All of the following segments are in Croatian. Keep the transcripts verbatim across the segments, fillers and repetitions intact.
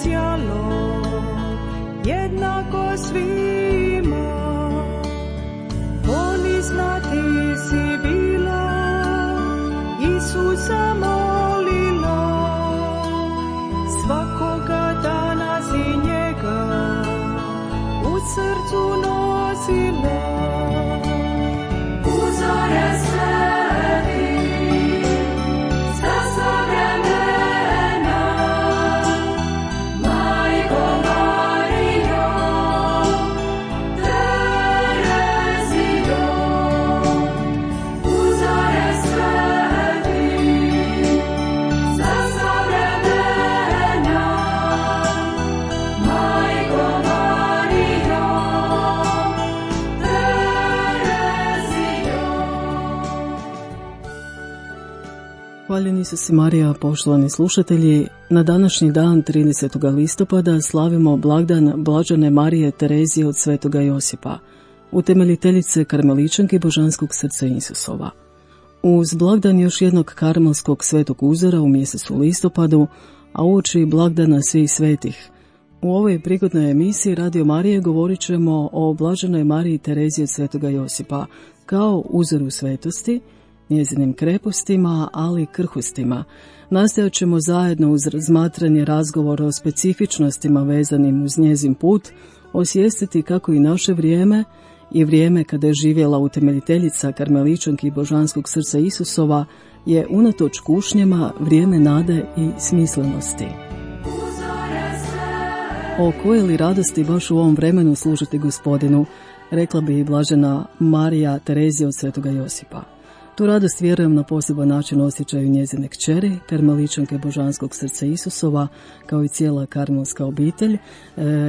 sjalo jednako svima. Ponizna ti si bila, Isusa molila, svakoga dana si njega u srcu nosila. Uzore sveti, za sva vremena, Majko Marijo, Terezio. Uzore sveti, za sva vremena, Majko Marijo, Terezio. Hvaljeni su si Marija, poštovani slušatelji. Na današnji dan, tridesetog listopada, slavimo blagdan Blažene Marije Terezije od Svetoga Josipa, utemeljiteljice Karmeličanke Božanskog srca Isusova. Uz blagdan još jednog karmelskog svetog uzora u mjesecu listopadu, a uoči blagdana svih svetih, u ovoj prigodnoj emisiji Radio Marije govorit ćemo o Blaženoj Mariji Tereziji od Svetoga Josipa kao uzoru svetosti, njezinim krepostima, ali i krhostima. Nastojat ćemo zajedno uz razmatranje razgovora o specifičnostima vezanim uz njezin put osvijestiti kako i naše vrijeme i vrijeme kada je živjela utemeljiteljica Karmeličanki Božanskog srca Isusova je unatoč kušnjama vrijeme nade i smislenosti. O koje li radosti baš u ovom vremenu služiti Gospodinu, rekla bi i Blažena Marija Terezija od Svetoga Josipa. Tu radost, vjerujem, na poseban način osjećaju njezine kćeri, Karmeličanke Božanskog srca Isusova, kao i cijela karmelska obitelj. E,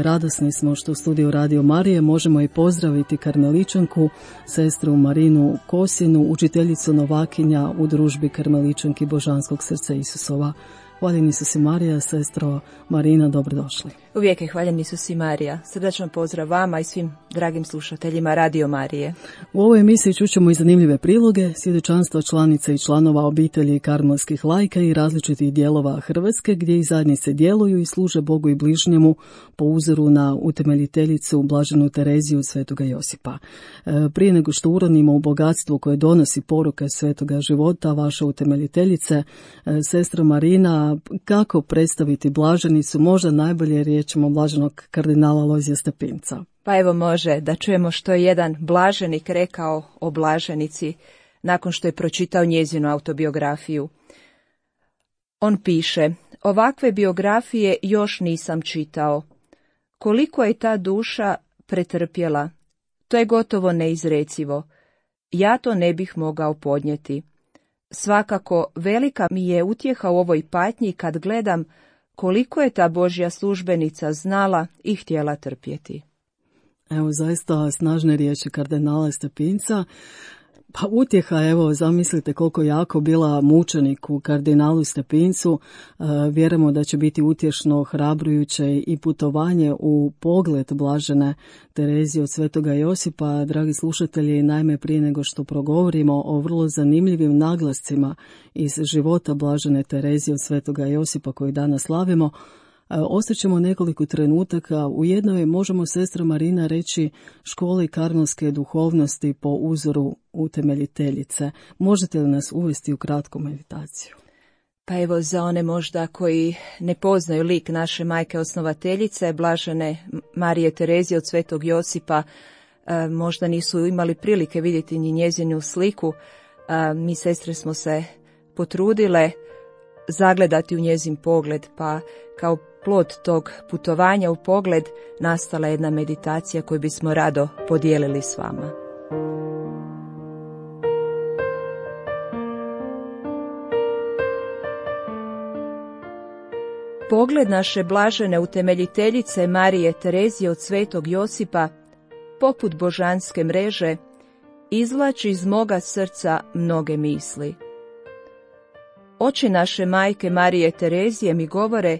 radosni smo što u studiju Radio Marije možemo i pozdraviti Karmeličanku, sestru Marinu Kosinu, učiteljicu novakinja u družbi Karmeličanki Božanskog srca Isusova. Hvaljeni su si Marija, sestro Marina, dobrodošli. Uvijek je hvaljeni su si Marija. Srdačan pozdrav vama i svim dragim slušateljima Radio Marije. U ovoj emisiji čućemo i zanimljive priloge, svjedočanstva članica i članova obitelji karmelskih laika i različitih dijelova Hrvatske, gdje i zajednice djeluju i služe Bogu i bližnjemu po uzoru na utemeljiteljicu Blaženu Tereziju od Svetoga Josipa. E, prije nego što uronimo u bogatstvo koje donosi poruka svetoga života vaše utemeljiteljice, e, sestra Marina, kako predstaviti blaženicu, možda najbolje riječima blaženog kardinala Lojzija Stepinca? Pa evo može da čujemo što je jedan blaženik rekao o blaženici nakon što je pročitao njezinu autobiografiju. On piše: ovakve biografije još nisam čitao. Koliko je ta duša pretrpjela, to je gotovo neizrecivo. Ja to ne bih mogao podnijeti. Svakako, velika mi je utjeha u ovoj patnji kad gledam koliko je ta Božja službenica znala i htjela trpjeti. Evo, zaista snažne riječi kardinala Stepinca. Pa utjeha, evo, zamislite koliko jako bila mučenik u kardinalu Stepincu. E, vjerujemo da će biti utješno, hrabrujuće i putovanje u pogled Blažene Terezije od Svetoga Josipa. Dragi slušatelji, naime prije nego što progovorimo o vrlo zanimljivim naglascima iz života Blažene Terezije od Svetoga Josipa koji danas slavimo, ostaćemo nekoliko trenutaka. U jednoj možemo, sestra Marina, reći školi karmelske duhovnosti po uzoru utemeljiteljice. Možete li nas uvesti u kratku meditaciju? Pa evo, za one možda koji ne poznaju lik naše majke osnovateljice, Blažene Marije Terezije od Svetog Josipa, možda nisu imali prilike vidjeti ni njezinu sliku, mi sestre smo se potrudile zagledati u njezin pogled, pa kao plod tog putovanja u pogled nastala jedna meditacija koju bismo rado podijelili s vama. Pogled naše blažene utemeljiteljice Marije Terezije od Svetog Josipa, poput božanske mreže, izvlači iz moga srca mnoge misli. Oči naše majke Marije Terezije mi govore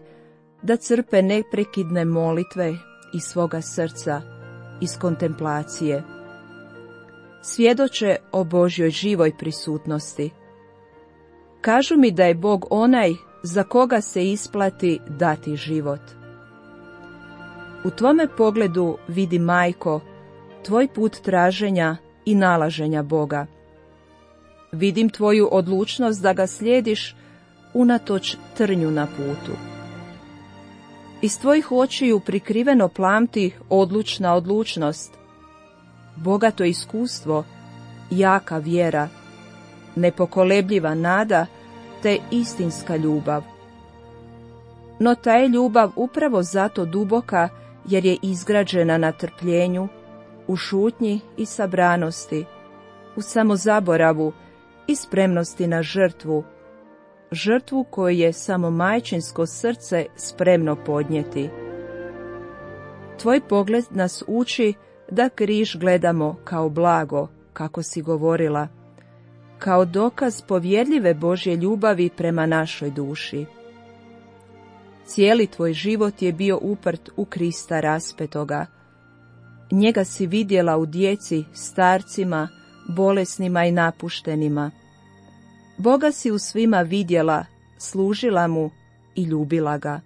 da crpe neprekidne molitve iz svoga srca, iz kontemplacije. Svjedoče o Božjoj živoj prisutnosti. Kažu mi da je Bog onaj za koga se isplati dati život. U tvome pogledu vidi, majko, tvoj put traženja i nalaženja Boga. Vidim tvoju odlučnost da ga slijediš unatoč trnju na putu. Iz tvojih očiju prikriveno plamti odlučna odlučnost, bogato iskustvo, jaka vjera, nepokolebljiva nada te istinska ljubav. No ta je ljubav upravo zato duboka jer je izgrađena na trpljenju, u šutnji i sabranosti, u samozaboravu i spremnosti na žrtvu, žrtvu koju je samo majčinsko srce spremno podnijeti. Tvoj pogled nas uči da križ gledamo kao blago, kako si govorila, kao dokaz povjerljive Božje ljubavi prema našoj duši. Cijeli tvoj život je bio uprt u Krista raspetoga. Njega si vidjela u djeci, starcima, bolesnima i napuštenima. Boga si u svima vidjela, služila mu i ljubila ga.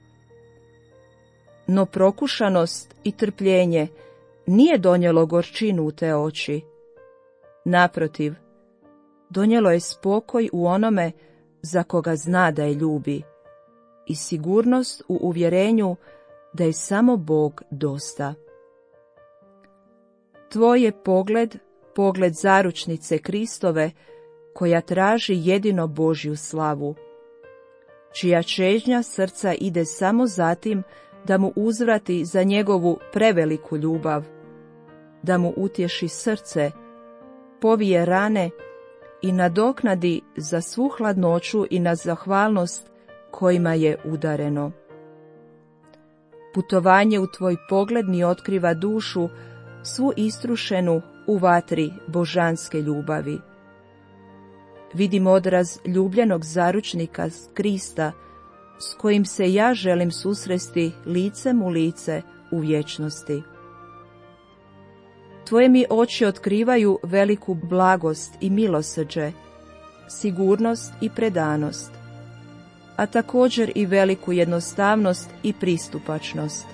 No prokušanost i trpljenje nije donijelo gorčinu u te oči. Naprotiv, donijelo je spokoj u onome za koga zna da je ljubi i sigurnost u uvjerenju da je samo Bog dosta. Tvoj je pogled, pogled zaručnice Kristove, koja traži jedino Božju slavu, čija čežnja srca ide samo zatim da mu uzvrati za njegovu preveliku ljubav, da mu utješi srce, povije rane i nadoknadi za svu hladnoću i na zahvalnost kojima je udareno. Putovanje u tvoj pogled mi otkriva dušu svu istrušenu u vatri božanske ljubavi. Vidim odraz ljubljenog zaručnika Krista, s kojim se ja želim susresti licem u lice u vječnosti. Tvoje mi oči otkrivaju veliku blagost i milosrđe, sigurnost i predanost, a također i veliku jednostavnost i pristupačnost.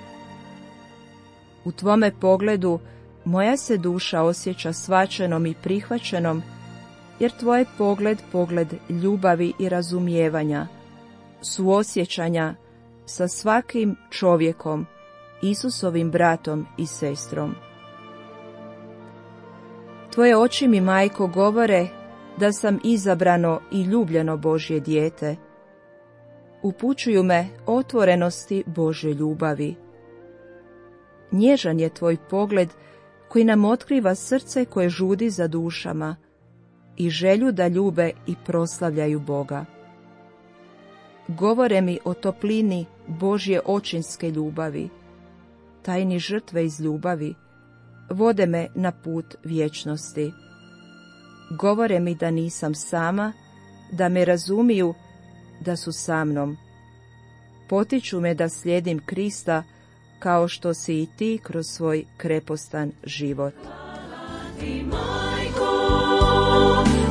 U tvome pogledu moja se duša osjeća shvaćenom i prihvaćenom, jer tvoj pogled, pogled ljubavi i razumijevanja, suosjećanja sa svakim čovjekom, Isusovim bratom i sestrom. Tvoje oči mi, majko, govore da sam izabrano i ljubljeno Božje dijete. Upućuju me otvorenosti Božje ljubavi. Nježan je tvoj pogled koji nam otkriva srce koje žudi za dušama i želju da ljube i proslavljaju Boga. Govore mi o toplini Božje očinske ljubavi, tajni žrtve iz ljubavi, vode me na put vječnosti. Govore mi da nisam sama, da me razumiju, da su sa mnom. Potiču me da slijedim Krista, kao što si i ti kroz svoj krepostan život. Ti, majko,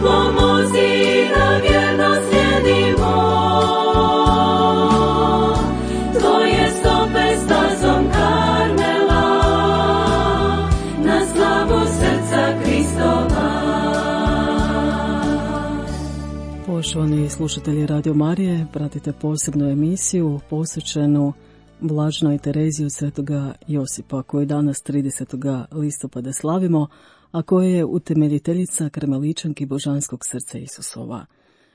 pomozi da vjerno slijedimo tvoje stope stazom Karmela, na slavu srca Kristova. Poštovani slušatelji Radio Marije, pratite posebnu emisiju posvećenu Blaženoj Tereziji od Svetoga Josipa, koju danas tridesetog listopada slavimo, a koja je utemeljiteljica Karmeličanki Božanskog srca Isusova.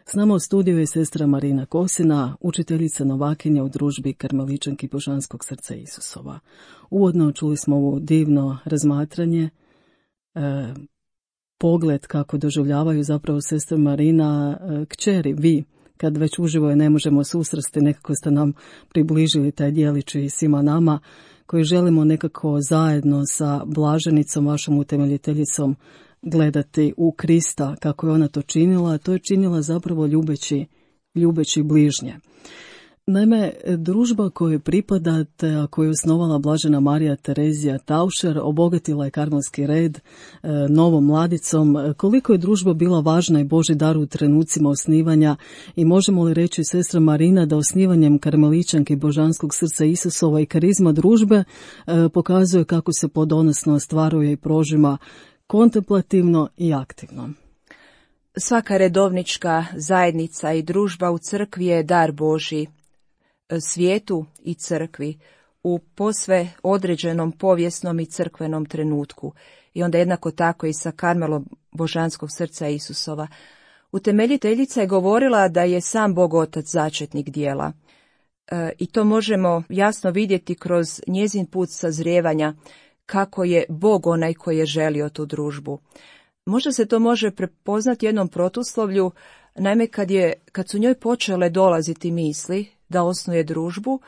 S nama u studiju je sestra Marina Kosina, učiteljica novakinja u družbi Karmeličanki Božanskog srca Isusova. Uvodno čuli smo ovo divno razmatranje, e, pogled kako doživljavaju zapravo sestra Marina e, kćeri, vi, kad već uživo je ne možemo susresti, nekako ste nam približili taj djelić i svima nama koji želimo nekako zajedno sa blaženicom, vašom utemeljiteljicom, gledati u Krista kako je ona to činila, a to je činila zapravo ljubeći, ljubeći bližnje. Naime, družba kojoj pripadate, a koju je osnovala blažena Marija Terezija Taušer, obogatila je karmelski red e, novom mladicom. Koliko je družba bila važna i Božji dar u trenucima osnivanja i možemo li reći, sestra Marina, da osnivanjem karmeličanke Božanskog srca Isusova i karizma družbe e, pokazuje kako se plodonosno ostvaruje i prožima kontemplativno i aktivno? Svaka redovnička zajednica i družba u crkvi je dar Božji, svijetu i crkvi u posve određenom povijesnom i crkvenom trenutku. I onda jednako tako i sa Karmelom Božanskog srca Isusova. Utemeljiteljica je govorila da je sam Bog Otac začetnik dijela. E, I to možemo jasno vidjeti kroz njezin put sazrijevanja, kako je Bog onaj koji je želio tu družbu. Možda se to može prepoznati jednom protuslovlju, naime kad, je, kad su njoj počele dolaziti misli da osnuje družbu,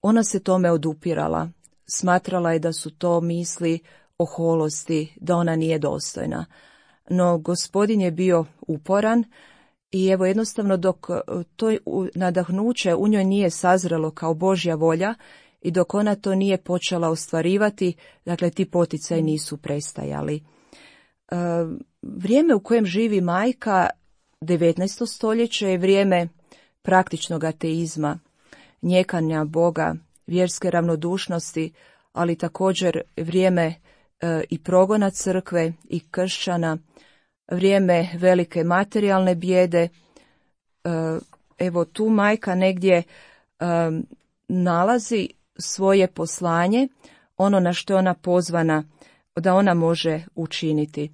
ona se tome odupirala. Smatrala je da su to misli oholosti, da ona nije dostojna. No Gospodin je bio uporan i evo jednostavno dok to nadahnuće u njoj nije sazrelo kao Božja volja i dok ona to nije počela ostvarivati, dakle ti poticaji nisu prestajali. E, vrijeme u kojem živi majka, devetnaesto stoljeće, je vrijeme praktičnog ateizma, njekanja Boga, vjerske ravnodušnosti, ali također vrijeme e, i progona crkve i kršćana, vrijeme velike materijalne bijede. E, evo tu majka negdje e, nalazi svoje poslanje, ono na što je ona pozvana da ona može učiniti.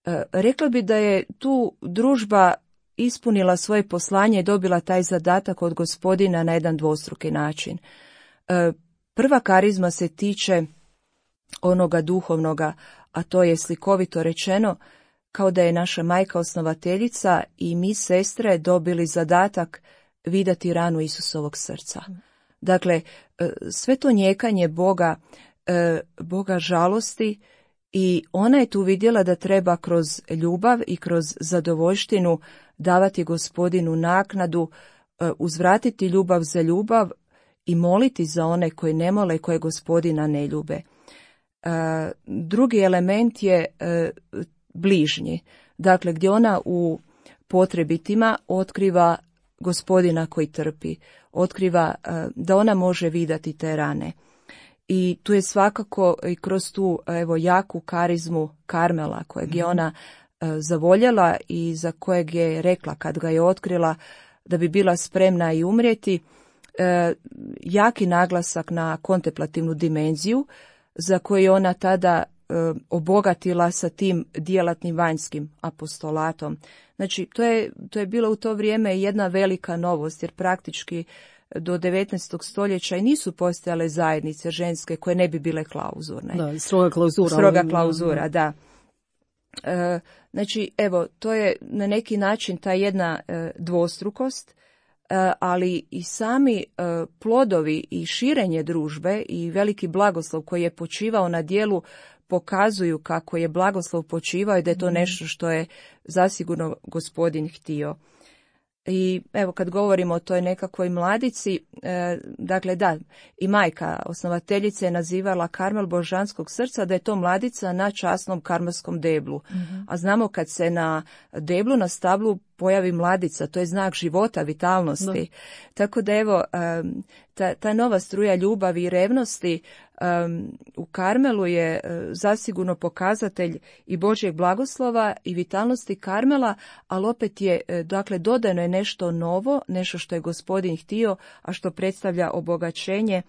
E, rekla bi da je tu družba ispunila svoje poslanje i dobila taj zadatak od Gospodina na jedan dvostruki način. E, prva karizma se tiče onoga duhovnoga, a to je slikovito rečeno kao da je naša majka osnovateljica i mi sestre dobili zadatak vidjeti ranu Isusovog srca. Dakle, sve to njekanje Boga, Boga žalosti, i ona je tu vidjela da treba kroz ljubav i kroz zadovoljštinu davati Gospodinu naknadu, uzvratiti ljubav za ljubav i moliti za one koji ne mole, koje Gospodina ne ljube. Drugi element je bližnji, dakle gdje ona u potrebitima otkriva Gospodina koji trpi, otkriva da ona može vidjeti te rane. I tu je svakako i kroz tu evo jaku karizmu Karmela kojeg je ona e, zavoljela i za kojeg je rekla kad ga je otkrila da bi bila spremna i umrijeti, e, jaki naglasak na kontemplativnu dimenziju za koju je ona tada e, obogatila sa tim djelatnim vanjskim apostolatom. Znači to je, to je bilo u to vrijeme jedna velika novost, jer praktički do devetnaestog stoljeća i nisu postojale zajednice ženske koje ne bi bile klauzurne. Da, stroga klauzura. Stroga klauzura, da. E, znači, evo, to je na neki način ta jedna e, dvostrukost, e, ali i sami e, plodovi i širenje družbe i veliki blagoslov koji je počivao na djelu pokazuju kako je blagoslov počivao i da je to nešto što je zasigurno Gospodin htio. I evo kad govorimo o toj nekakvoj mladici, e, dakle da, i majka osnovateljice je nazivala Karmel Božanskog srca da je to mladica na časnom karmelskom deblu. Mm-hmm. A znamo kad se na deblu, na stablu pojavi mladica, to je znak života, vitalnosti. Da. Tako da evo, um, ta, ta nova struja ljubavi i revnosti um, u Karmelu je uh, zasigurno pokazatelj i Božjeg blagoslova i vitalnosti Karmela, ali opet je, uh, dakle, dodano je nešto novo, nešto što je Gospodin htio, a što predstavlja obogaćenje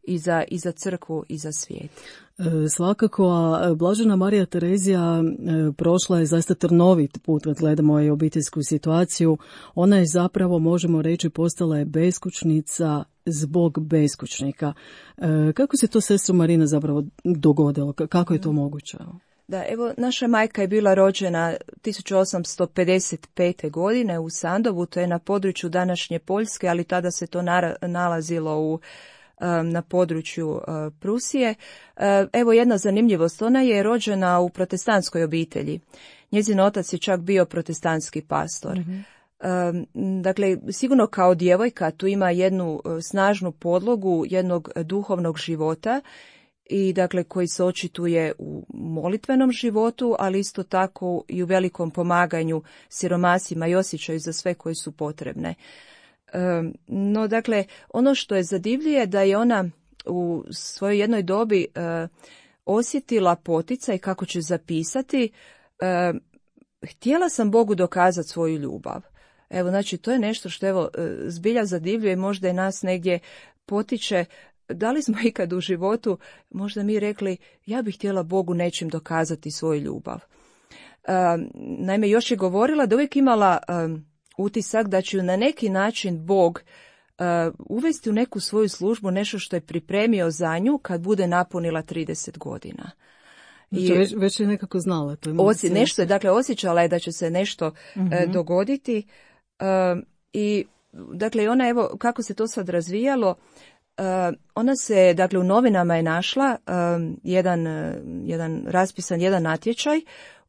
i za, i za crkvu i za svijet. E, svakako, a blažena Marija Terezija e, prošla je zaista trnovit put kad gledamo i obiteljsku situaciju. Ona je zapravo, možemo reći, postala je beskućnica zbog beskućnika. E, kako se to, sestro Marina, zapravo dogodilo? Kako je to moguće? Da, evo, naša majka je bila rođena tisuću osamsto pedeset pete. godine u Sandovu, to je na području današnje Poljske, ali tada se to nalazilo u na području Prusije. Evo jedna zanimljivost, ona je rođena u protestantskoj obitelji. Njezin otac je čak bio protestantski pastor. Mm-hmm. Dakle, sigurno kao djevojka tu ima jednu snažnu podlogu jednog duhovnog života i dakle koji se očituje u molitvenom životu, ali isto tako i u velikom pomaganju siromasima i osjećaju za sve koji su potrebne. No, dakle, ono što je zadivljuje da je ona u svojoj jednoj dobi osjetila poticaj kako će zapisati, htjela sam Bogu dokazati svoju ljubav. Evo, znači, to je nešto što evo zbilja zadivljuje, možda je nas negdje potiče. Da li smo ikad u životu možda mi rekli, ja bih htjela Bogu nečim dokazati svoju ljubav? Um, naime, još je govorila da uvijek imala um, utisak da će ju na neki način Bog uh, uvesti u neku svoju službu, nešto što je pripremio za nju kad bude napunila trideset godina. I već, već je nekako znala. To je osi, nešto je, dakle, osjećala je da će se nešto uh-huh. uh, dogoditi. Uh, I, dakle, ona, evo, kako se to sad razvijalo, Uh, ona se, dakle, u novinama je našla um, jedan, uh, jedan raspisan jedan natječaj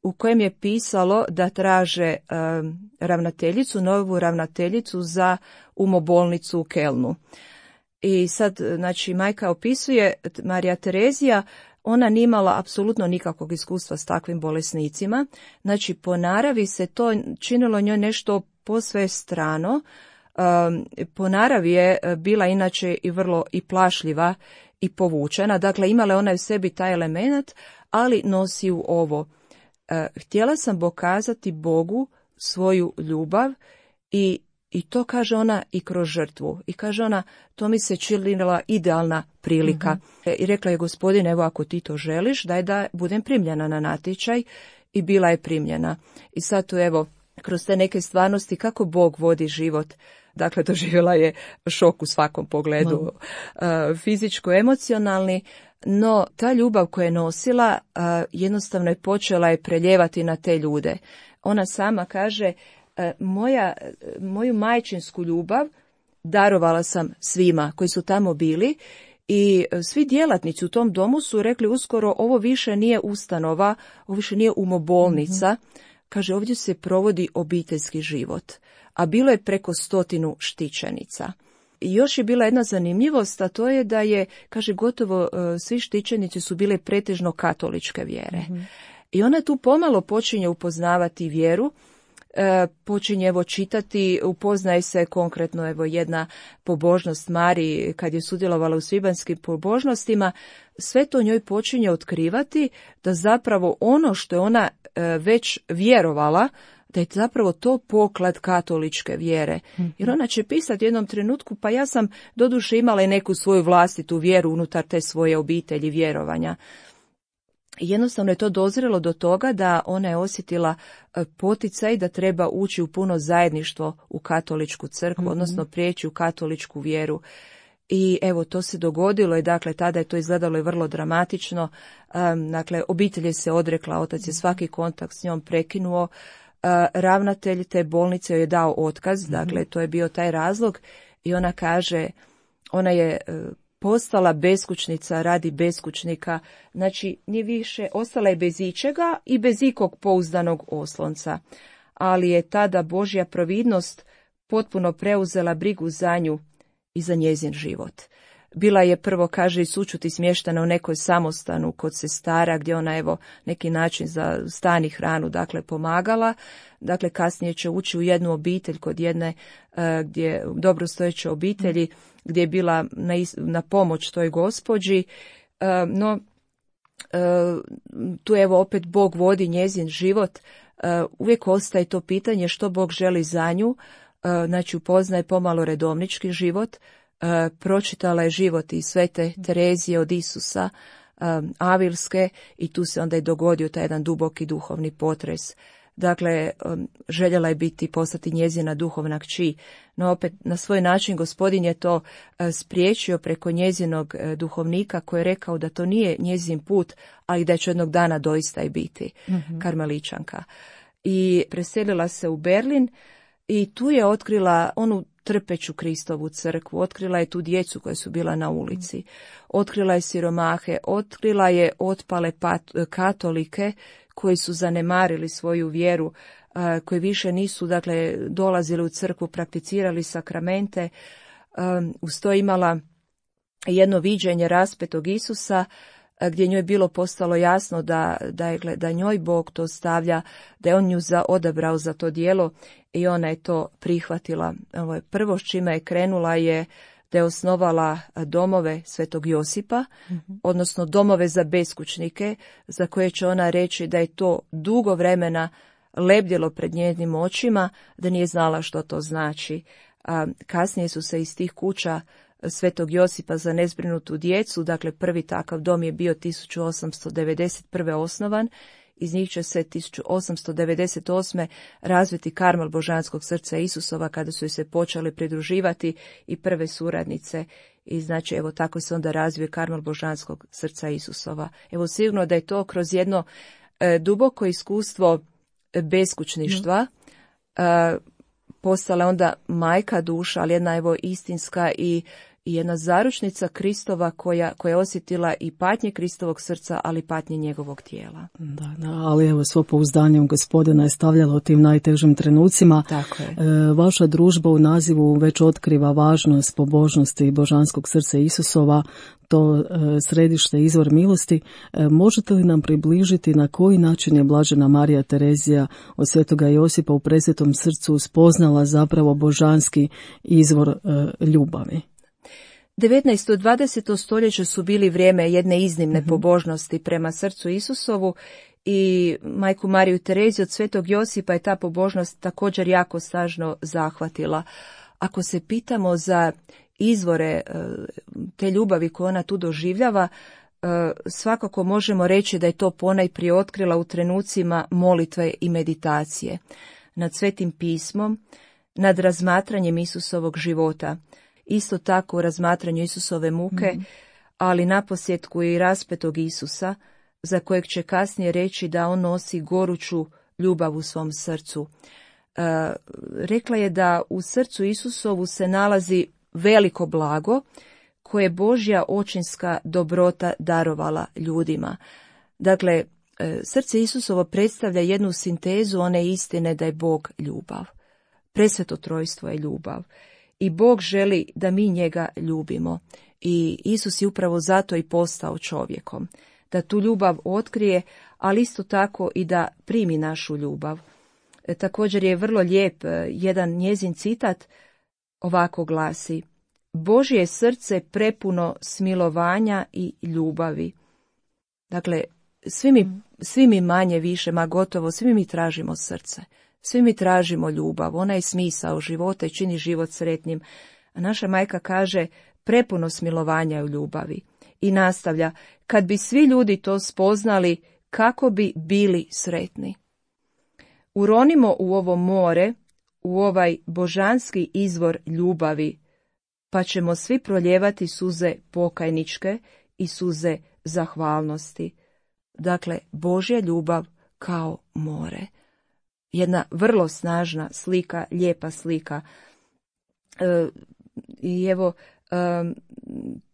u kojem je pisalo da traže um, ravnateljicu, novu ravnateljicu za umobolnicu u Kelnu. I sad, znači, majka opisuje, Marija Terezija, ona nije imala apsolutno nikakvog iskustva s takvim bolesnicima. Znači, po naravi se to činilo njoj nešto posve strano. Um, po naravi je bila inače i vrlo i plašljiva i povučena, dakle imala je ona u sebi taj element, ali nosi u ovo. Uh, htjela sam pokazati Bogu svoju ljubav i, i to kaže ona i kroz žrtvu. I kaže ona, to mi se činila idealna prilika. Mm-hmm. I rekla je, Gospodine, evo ako ti to želiš, daj da budem primljena na natječaj, i bila je primljena. I sad tu evo, kroz te neke stvarnosti kako Bog vodi život. Dakle, doživjela je šok u svakom pogledu, uh, fizičko-emocionalni, no ta ljubav koju je nosila uh, jednostavno je počela je preljevati na te ljude. Ona sama kaže, uh, moja, moju majčinsku ljubav darovala sam svima koji su tamo bili i svi djelatnici u tom domu su rekli uskoro, ovo više nije ustanova, ovo više nije umobolnica. Mm-hmm. Kaže, ovdje se provodi obiteljski život, a bilo je preko stotinu štićenica. I još je bila jedna zanimljivost, a to je da je, kaže, gotovo uh, svi štićenici su bile pretežno katoličke vjere. Mm-hmm. I ona tu pomalo počinje upoznavati vjeru, uh, počinje evo čitati, upoznaje se konkretno evo jedna pobožnost Mariji kad je sudjelovala u svibanjskim pobožnostima, sve to njoj počinje otkrivati da zapravo ono što je ona uh, već vjerovala, da je zapravo to poklad katoličke vjere. Jer ona će pisati u jednom trenutku, pa ja sam doduše imala i neku svoju vlastitu vjeru unutar te svoje obitelji vjerovanja. Jednostavno je to dozrelo do toga da ona je osjetila poticaj da treba ući u puno zajedništvo u katoličku crkvu, mm-hmm. odnosno prijeći u katoličku vjeru. I evo, to se dogodilo i dakle, tada je to izgledalo i vrlo dramatično. Um, dakle, obitelj je se odrekla, otac je svaki kontakt s njom prekinuo. Uh, ravnatelj te bolnice joj je dao otkaz, mm-hmm. dakle, to je bio taj razlog i ona kaže, ona je uh, postala beskućnica radi beskućnika, znači nije više, ostala je bez ičega i bez ikog pouzdanog oslonca, ali je tada Božja providnost potpuno preuzela brigu za nju i za njezin život. Bila je prvo, kaže, i sućuti smještena u nekoj samostanu kod sestara, gdje ona, evo, neki način za stan i hranu, dakle, pomagala. Dakle, kasnije će ući u jednu obitelj kod jedne uh, gdje dobrostojeće obitelji, gdje je bila na, na pomoć toj gospođi. Uh, no, uh, tu, evo, opet Bog vodi njezin život. Uh, uvijek ostaje to pitanje što Bog želi za nju. Uh, znači, upoznaje pomalo redovnički život. Uh, pročitala je život i svete Terezije od Isusa, um, Avilske, i tu se onda i dogodio taj jedan duboki duhovni potres. Dakle, um, željela je biti, postati njezina duhovna kći, no opet na svoj način Gospodin je to uh, spriječio preko njezinog uh, duhovnika koji je rekao da to nije njezin put, ali da će jednog dana doista i biti mm-hmm. karmeličanka. I preselila se u Berlin i tu je otkrila onu trpeću Kristovu crkvu, otkrila je tu djecu koja su bila na ulici, otkrila je siromahe, otkrila je otpale pat, katolike koji su zanemarili svoju vjeru, koji više nisu, dakle, dolazili u crkvu, prakticirali sakramente, uz to imala jedno viđenje raspetog Isusa, gdje njoj je bilo postalo jasno da, da, je, da njoj Bog to stavlja, da je on nju za, odabrao za to djelo i ona je to prihvatila. Ovo je prvo s čime je krenula je da je osnovala domove Svetog Josipa, mm-hmm. odnosno domove za beskućnike, za koje će ona reći da je to dugo vremena lebdjelo pred njezinim očima, da nije znala što to znači. A kasnije su se iz tih kuća Svetog Josipa za nezbrinutu djecu, dakle prvi takav dom je bio tisuću osamsto devedeset prve osnovan, iz njih će se tisuću osamsto devedeset osme razviti Karmel Božanskog srca Isusova, kada su joj se počeli pridruživati i prve suradnice. I znači, evo, tako se onda razvije Karmel Božanskog srca Isusova. Evo, sigurno da je to kroz jedno e, duboko iskustvo beskućništva e, postala onda majka duša, ali jedna, evo, istinska i i jedna zaručnica Kristova koja, koja je osjetila i patnje Kristovog srca, ali i patnje njegovog tijela. Da, da, ali evo, svo pouzdanje u Gospodina je stavljalo u tim najtežim trenucima. Tako je. E, vaša družba u nazivu već otkriva važnost pobožnosti Božanskog srca Isusova, to e, središte, izvor milosti. E, možete li nam približiti na koji način je blažena Marija Terezija od Svetoga Josipa u presvetom srcu spoznala zapravo božanski izvor e, ljubavi? devetnaesto i dvadeseto stoljeće su bili vrijeme jedne iznimne mm-hmm. pobožnosti prema srcu Isusovu i majku Mariju Tereziju od Svetog Josipa je ta pobožnost također jako snažno zahvatila. Ako se pitamo za izvore te ljubavi koje ona tu doživljava, svakako možemo reći da je to ponajprije otkrila u trenucima molitve i meditacije, nad Svetim pismom, nad razmatranjem Isusovog života. Isto tako u razmatranju Isusove muke, mm-hmm. ali naposljetku i raspetog Isusa, za kojeg će kasnije reći da on nosi goruću ljubav u svom srcu. E, rekla je da u srcu Isusovu se nalazi veliko blago koje je Božja očinska dobrota darovala ljudima. Dakle, e, srce Isusovo predstavlja jednu sintezu one istine da je Bog ljubav. Presveto trojstvo je ljubav. I Bog želi da mi njega ljubimo. I Isus je upravo zato i postao čovjekom. Da tu ljubav otkrije, ali isto tako i da primi našu ljubav. E, također je vrlo lijep jedan njezin citat, ovako glasi: Božje srce prepuno smilovanja i ljubavi. Dakle, svi mi, svi mi manje više, ma gotovo, svi mi tražimo srce. Svi mi tražimo ljubav, ona je smisao života i čini život sretnim. A naša majka kaže prepuno smilovanja u ljubavi. I nastavlja, kad bi svi ljudi to spoznali, kako bi bili sretni. Uronimo u ovo more, u ovaj božanski izvor ljubavi, pa ćemo svi proljevati suze pokajničke i suze zahvalnosti. Dakle, Božja ljubav kao more. Jedna vrlo snažna slika, lijepa slika. E, I evo, e,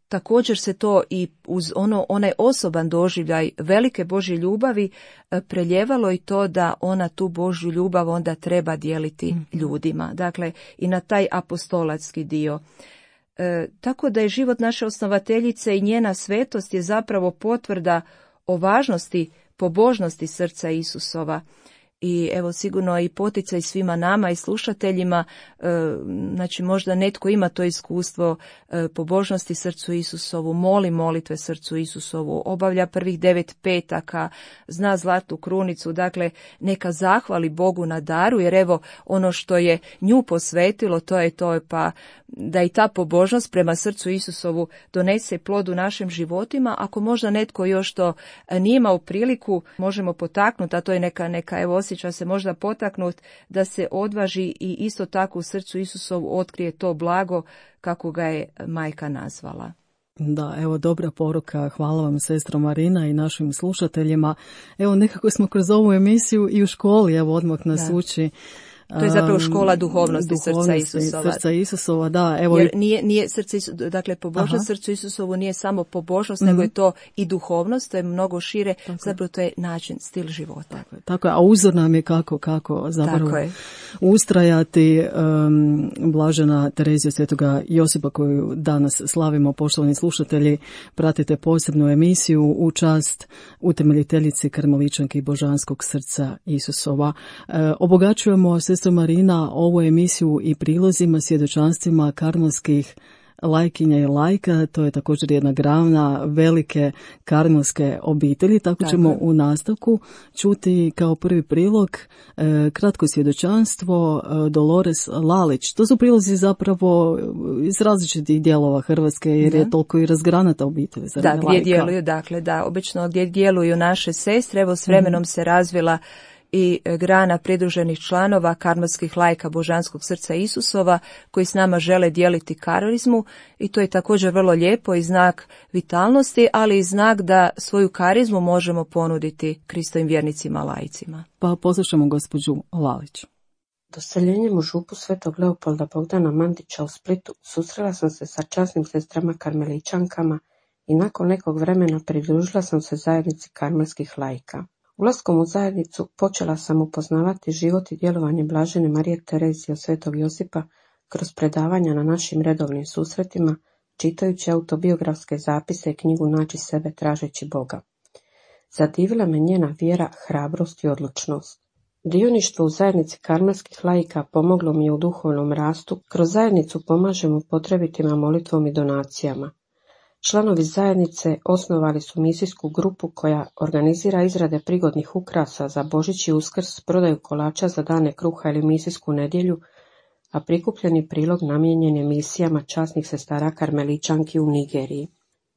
također se to i uz ono, onaj osoban doživljaj velike Božje ljubavi e, preljevalo i to da ona tu Božju ljubav onda treba dijeliti mm. ljudima. Dakle, i na taj apostolatski dio. E, tako da je život naše osnovateljice i njena svetost je zapravo potvrda o važnosti pobožnosti srca Isusova. I evo sigurno i poticaj svima nama i slušateljima, e, znači možda netko ima to iskustvo e, pobožnosti srcu Isusovu, moli molitve srcu Isusovu, obavlja prvih devet petaka, zna zlatnu krunicu, dakle neka zahvali Bogu na daru, jer evo ono što je nju posvetilo, to je to, pa da i ta pobožnost prema srcu Isusovu donese plod u našim životima. Ako možda netko još to nije imao priliku, možemo potaknuti, a to je neka, neka evo osjeća se možda potaknut da se odvaži i isto tako u srcu Isusovu otkrije to blago kako ga je majka nazvala. Da, evo dobra poruka, hvala vam sestro Marina i našim slušateljima. Evo nekako smo kroz ovu emisiju i u školi, evo odmah nas da. uči To je zapravo škola duhovnosti, duhovnosti srca Isusova. Srca Isusova, da. Evo Jer i... nije, nije srce Isus, dakle pobožnost srcu Isusovu nije samo pobožnost, mm-hmm. nego je to i duhovnost, to je mnogo šire, tako zapravo to je način, stil života. Tako je, tako je. A uzor nam je kako, kako zapravo ustrajati. Um, Blažena Terezija Svetoga Josipa koju danas slavimo, poštovani slušatelji, pratite posebnu emisiju u čast utemeljiteljici Karmeličanki Božanskog srca Isusova. E, obogaćujemo, sestro Marina, ovu emisiju i prilozima, svjedočanstvima karmelskih lajkinja i lajka. To je također jedna grana velike karmelske obitelji. Tako, Tako ćemo u nastavku čuti kao prvi prilog e, kratko svjedočanstvo e, Dolores Lalić. To su prilozi zapravo iz različitih dijelova Hrvatske, jer da. je toliko i razgranata obitelj. Da, gdje lajka. djeluju, dakle, da, obično gdje djeluju naše sestre, evo s vremenom mm. se razvila i grana pridruženih članova karmelskih lajka Božanskog srca Isusova koji s nama žele dijeliti karizmu i to je također vrlo lijepo i znak vitalnosti, ali i znak da svoju karizmu možemo ponuditi Kristovim vjernicima lajcima. Pa poslušamo gospođu Lalić. Doseljenjem u župu Svetog Leopolda Bogdana Mandića u Splitu susrela sam se sa časnim sestrama karmeličankama i nakon nekog vremena pridružila sam se zajednici karmelskih lajka. Ulaskom u zajednicu počela sam upoznavati život i djelovanje Blažene Marije Terezije od Svetog Josipa kroz predavanja na našim redovnim susretima, čitajući autobiografske zapise i knjigu Naći sebe tražeći Boga. Zadivila me njena vjera, hrabrost i odlučnost. Dioništvo u zajednici karmelskih laika pomoglo mi je u duhovnom rastu, kroz zajednicu pomažemo potrebitima molitvom i donacijama. Članovi zajednice osnovali su misijsku grupu koja organizira izrade prigodnih ukrasa za Božić i Uskrs, prodaju kolača za dane kruha ili misijsku nedjelju, a prikupljeni prilog namijenjen je misijama časnih sestara karmeličanki u Nigeriji.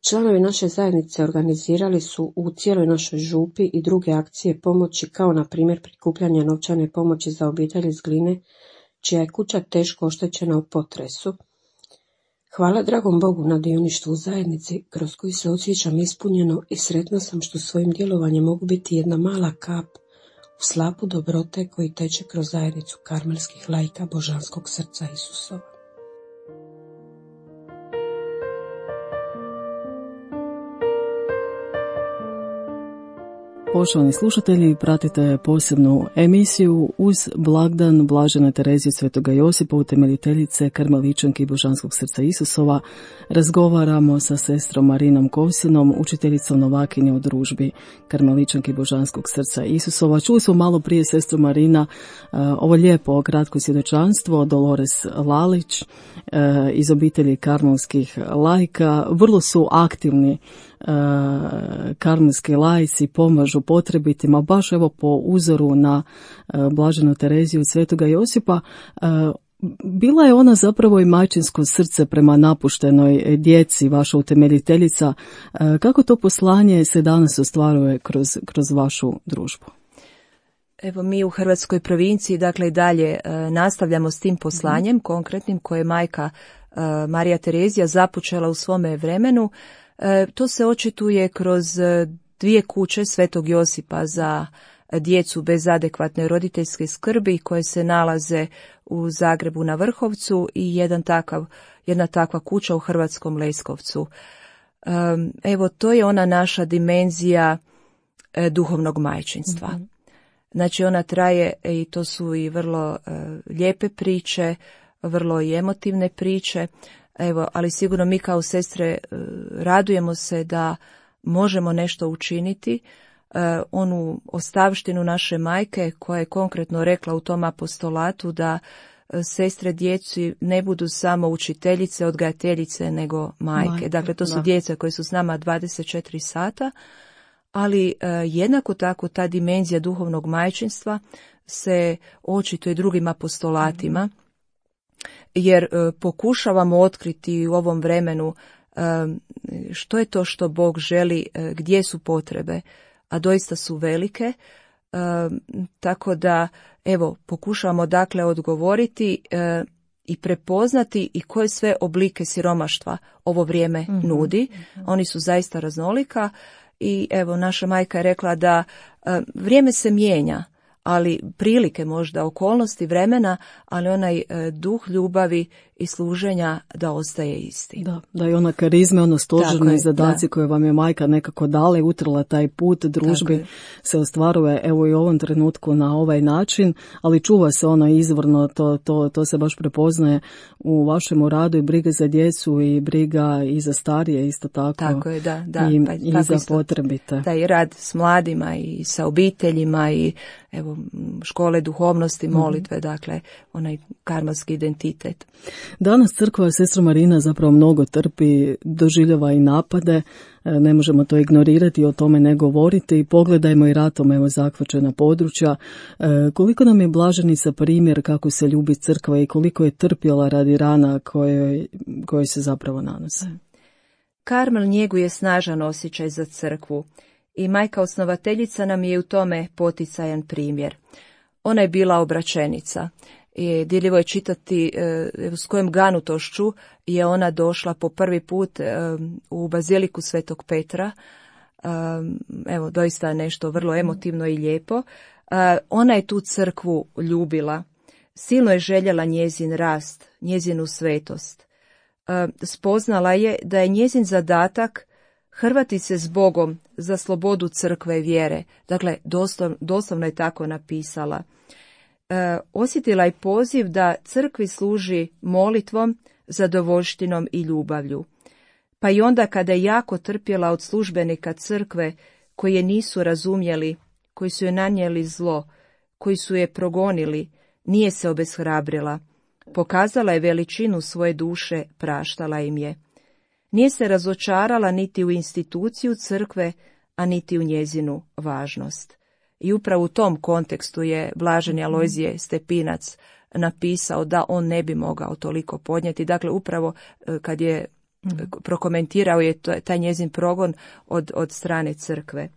Članovi naše zajednice organizirali su u cijeloj našoj župi i druge akcije pomoći, kao na primjer prikupljanje novčane pomoći za obitelj iz Gline, čija je kuća teško oštećena u potresu. Hvala dragom Bogu na dioništvu u zajednici, kroz koji se osjećam ispunjeno i sretna sam što svojim djelovanjem mogu biti jedna mala kap u slapu dobrote koji teče kroz zajednicu karmelskih lajka Božanskog srca Isusova. Poštovani slušatelji, pratite posebnu emisiju uz blagdan Blažene Terezije Svetoga Josipa, utemeljiteljice Karmeličanki Božanskog srca Isusova. Razgovaramo sa sestrom Marinom Kosinom, učiteljicom novakinje u družbi Karmeličanki Božanskog srca Isusova. Čuli smo malo prije sestru Marina uh, ovo lijepo kratko svjedočanstvo Dolores Lalić uh, iz obitelji karmelskih lajka. Vrlo su aktivni uh, karmelski lajci, pomažu potrebitima, baš evo po uzoru na uh, Blaženu Tereziju Svetoga Josipa. Uh, Bila je ona zapravo i majčinsko srce prema napuštenoj djeci, vaša utemeljiteljica. Kako to poslanje se danas ostvaruje kroz, kroz vašu družbu? Evo, mi u Hrvatskoj provinciji, dakle, i dalje nastavljamo s tim poslanjem, mm-hmm. konkretnim, koje je majka Marija Terezija započela u svome vremenu. To se očituje kroz dvije kuće Svetog Josipa za djecu bez adekvatne roditeljske skrbi koje se nalaze u Zagrebu na Vrhovcu i jedan takav, jedna takva kuća u Hrvatskom Leskovcu. Evo, to je ona naša dimenzija duhovnog majčinstva. Mm-hmm. Znači, ona traje i to su i vrlo lijepe priče, vrlo i emotivne priče. Evo, ali sigurno mi kao sestre radujemo se da možemo nešto učiniti. Uh, onu ostavštinu naše majke koja je konkretno rekla u tom apostolatu da uh, sestre djeci ne budu samo učiteljice, odgajateljice, nego majke. majke dakle, to su da. djeca koje su s nama dvadeset četiri sata, ali uh, jednako tako ta dimenzija duhovnog majčinstva se očituje drugim apostolatima, mm-hmm. jer uh, pokušavamo otkriti u ovom vremenu uh, što je to što Bog želi, uh, gdje su potrebe, a doista su velike, e, tako da, evo, pokušavamo dakle odgovoriti e, i prepoznati i koje sve oblike siromaštva ovo vrijeme mm-hmm. nudi. Oni su zaista raznolika i evo, naša majka je rekla da e, vrijeme se mijenja, ali prilike možda, okolnosti vremena, ali onaj e, duh ljubavi i služenja da ostaje isti. Da, da je ona karizme, ono stožerne zadaci da. koje vam je majka nekako dala i utrla taj put družbi se ostvaruje evo i u ovom trenutku na ovaj način, ali čuva se ono izvorno, to, to, to se baš prepoznaje u vašem radu i briga za djecu i briga i za starije isto tako. Tako je, da, da. I, pa, i za isto, potrebite. Da, i rad s mladima i sa obiteljima i evo škole duhovnosti, molitve, mm-hmm. dakle onaj karmalski identitet. Danas crkva sestra Marina zapravo mnogo trpi, doživljava i napade, ne možemo to ignorirati i o tome ne govoriti. Pogledajmo i ratom evo zahvaćena područja. Koliko nam je blaženica primjer kako se ljubi crkva i koliko je trpjela radi rana koje, koje se zapravo nanose. Karmel njeguje snažan osjećaj za crkvu i majka osnovateljica nam je u tome poticajan primjer. Ona je bila obraćenica. I dirljivo je čitati e, s kojom ganutošću je ona došla po prvi put e, u baziliku Svetog Petra. E, evo, doista nešto vrlo emotivno i lijepo. E, ona je tu crkvu ljubila. Silno je željela njezin rast, njezinu svetost. E, spoznala je da je njezin zadatak hrvati se s Bogom za slobodu crkve i vjere. Dakle, doslov, doslovno je tako napisala. E, osjetila je poziv da crkvi služi molitvom, zadovoljštinom i ljubavlju. Pa i onda kada je jako trpjela od službenika crkve koji je nisu razumjeli, koji su je nanijeli zlo, koji su je progonili, nije se obeshrabrila. Pokazala je veličinu svoje duše, praštala im je. Nije se razočarala niti u instituciju crkve, a niti u njezinu važnost. I upravo u tom kontekstu je blaženi Alojzije Stepinac napisao da on ne bi mogao toliko podnijeti. Dakle, upravo kad je prokomentirao je taj njezin progon od, od strane crkve.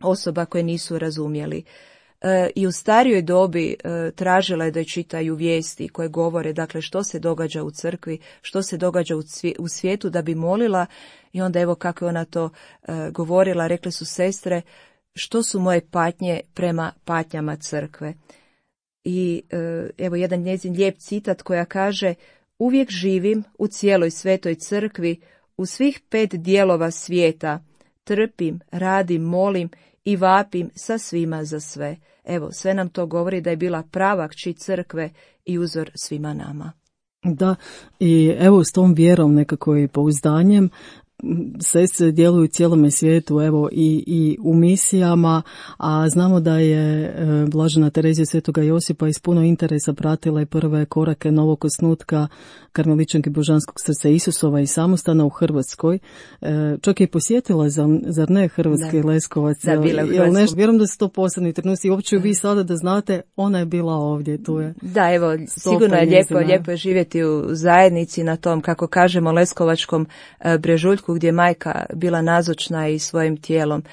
Osoba koje nisu razumjeli. E, I u starijoj dobi e, tražila je da čitaju vijesti koje govore, dakle, što se događa u crkvi, što se događa u, cvi, u svijetu da bi molila. I onda evo kako je ona to e, govorila, rekle su sestre, što su moje patnje prema patnjama crkve. I e, evo jedan njezin lijep citat koja kaže: uvijek živim u cijeloj svetoj crkvi, u svih pet dijelova svijeta, trpim, radim, molim i vapim sa svima za sve. Evo, sve nam to govori da je bila prava kći crkve i uzor svima nama. Da, i evo s tom vjerom nekako i pouzdanjem sestre djeluju u cijelome svijetu, evo i, i u misijama, a znamo da je e, blažena Terezija Svetoga Josipa iz puno interesa pratila i prve korake novog osnutka Karmeličanke Božanskog srca Isusova i samostana u Hrvatskoj. E, čak je posjetila, zar ne, Hrvatski da. Leskovac. Da, bila u Hrvatsku. Nešto, vjerujem da su to posebni trenuci i uopće vi sada da znate, ona je bila ovdje, tu je. Da, evo, sigurno je lijepo, lijepo je živjeti u zajednici na tom, kako kažemo, Leskovačkom e, brežuljku, gdje je majka bila nazočna i svojim tijelom.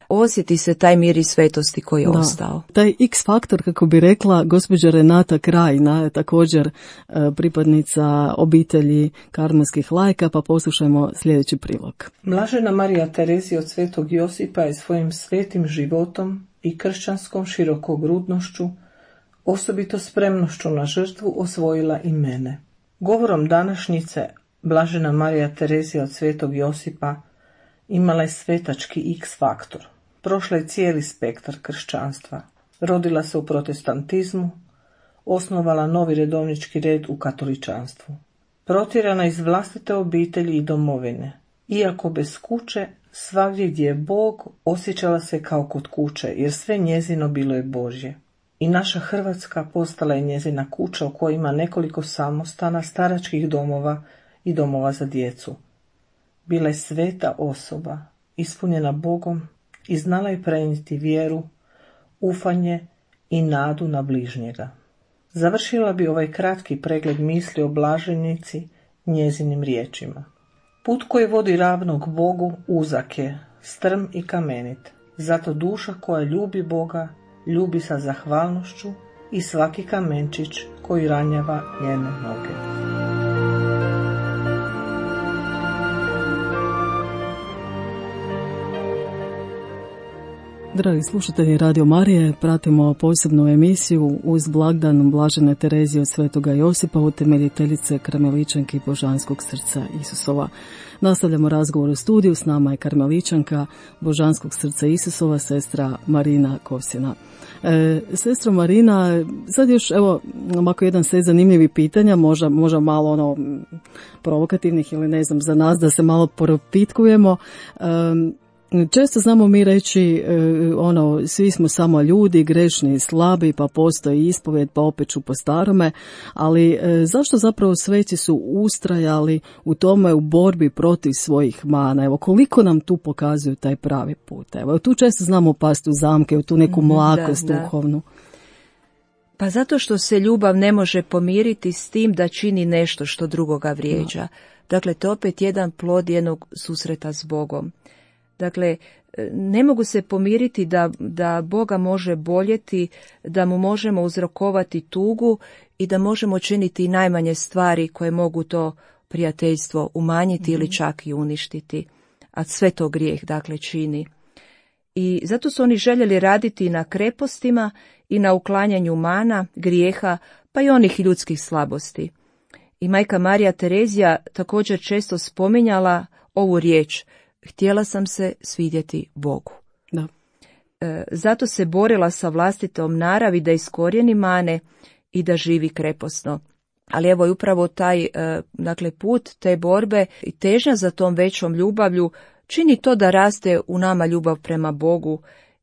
Osjeti se taj mir i svetosti koji je da. ostao. Taj X faktor, kako bi rekla gospođa Renata Krajina, je također e, pripadnica obitelji karmelskih lajka, pa poslušajmo sljedeći prilog. Blažena Marija Terezija od Svetog Josipa je svojim svetim životom i kršćanskom širokogrudnošću, osobito spremnošću na žrtvu, osvojila i mene. Govorom današnjice Blažena Marija Terezija od Svetog Josipa imala je svetački X faktor. Prošla je cijeli spektar kršćanstva. Rodila se u protestantizmu, osnovala novi redovnički red u katoličanstvu. Protjerana iz vlastite obitelji i domovine. Iako bez kuće, svagdje gdje je Bog, osjećala se kao kod kuće, jer sve njezino bilo je Božje. I naša Hrvatska postala je njezina kuća u kojoj ima nekoliko samostana, staračkih domova i domova za djecu. Bila je sveta osoba, ispunjena Bogom i znala je prenijeti vjeru, ufanje i nadu na bližnjega. Završila bi ovaj kratki pregled misli o blaženici njezinim riječima. Put koji vodi ravno k Bogu uzak je, strm i kamenit. Zato duša koja ljubi Boga, ljubi sa zahvalnošću i svaki kamenčić koji ranjava njene noge. Dragi slušatelji Radio Marije, pratimo posebnu emisiju uz blagdan Blažene Terezije od Svetoga Josipa, utemeljiteljice Karmeličanke i Božanskog srca Isusova. Nastavljamo razgovor u studiju, s nama je Karmeličanka Božanskog srca Isusova, sestra Marina Kosina. E, sestra Marina, sad još, evo, ovako jedan set zanimljivih pitanja, možda, možda malo ono provokativnih ili ne znam, za nas da se malo propitkujemo. E, Često znamo mi reći, ono, svi smo samo ljudi, grešni i slabi, pa postoji ispovjed, pa opet ću po starome, ali zašto zapravo sveci su ustrajali u tome, u borbi protiv svojih mana? Evo, koliko nam tu pokazuju taj pravi put? Evo, tu često znamo pasti u zamke, u tu neku mlakost da, da. duhovnu. Pa zato što se ljubav ne može pomiriti s tim da čini nešto što drugoga vrijeđa. No. Dakle, to je opet jedan plod jednog susreta s Bogom. Dakle, ne mogu se pomiriti da, da Boga može boljeti, da mu možemo uzrokovati tugu i da možemo činiti najmanje stvari koje mogu to prijateljstvo umanjiti mm-hmm. ili čak i uništiti. A sve to grijeh, dakle, čini. I zato su oni željeli raditi na krepostima i na uklanjanju mana, grijeha, pa i onih ljudskih slabosti. I majka Marija Terezija također često spominjala ovu riječ: htjela sam se svidjeti Bogu. Da. E, zato se borila sa vlastitom naravi da iskorijeni mane i da živi kreposno. Ali evo je upravo taj e, dakle, put te borbe i težnja za tom većom ljubavlju čini to da raste u nama ljubav prema Bogu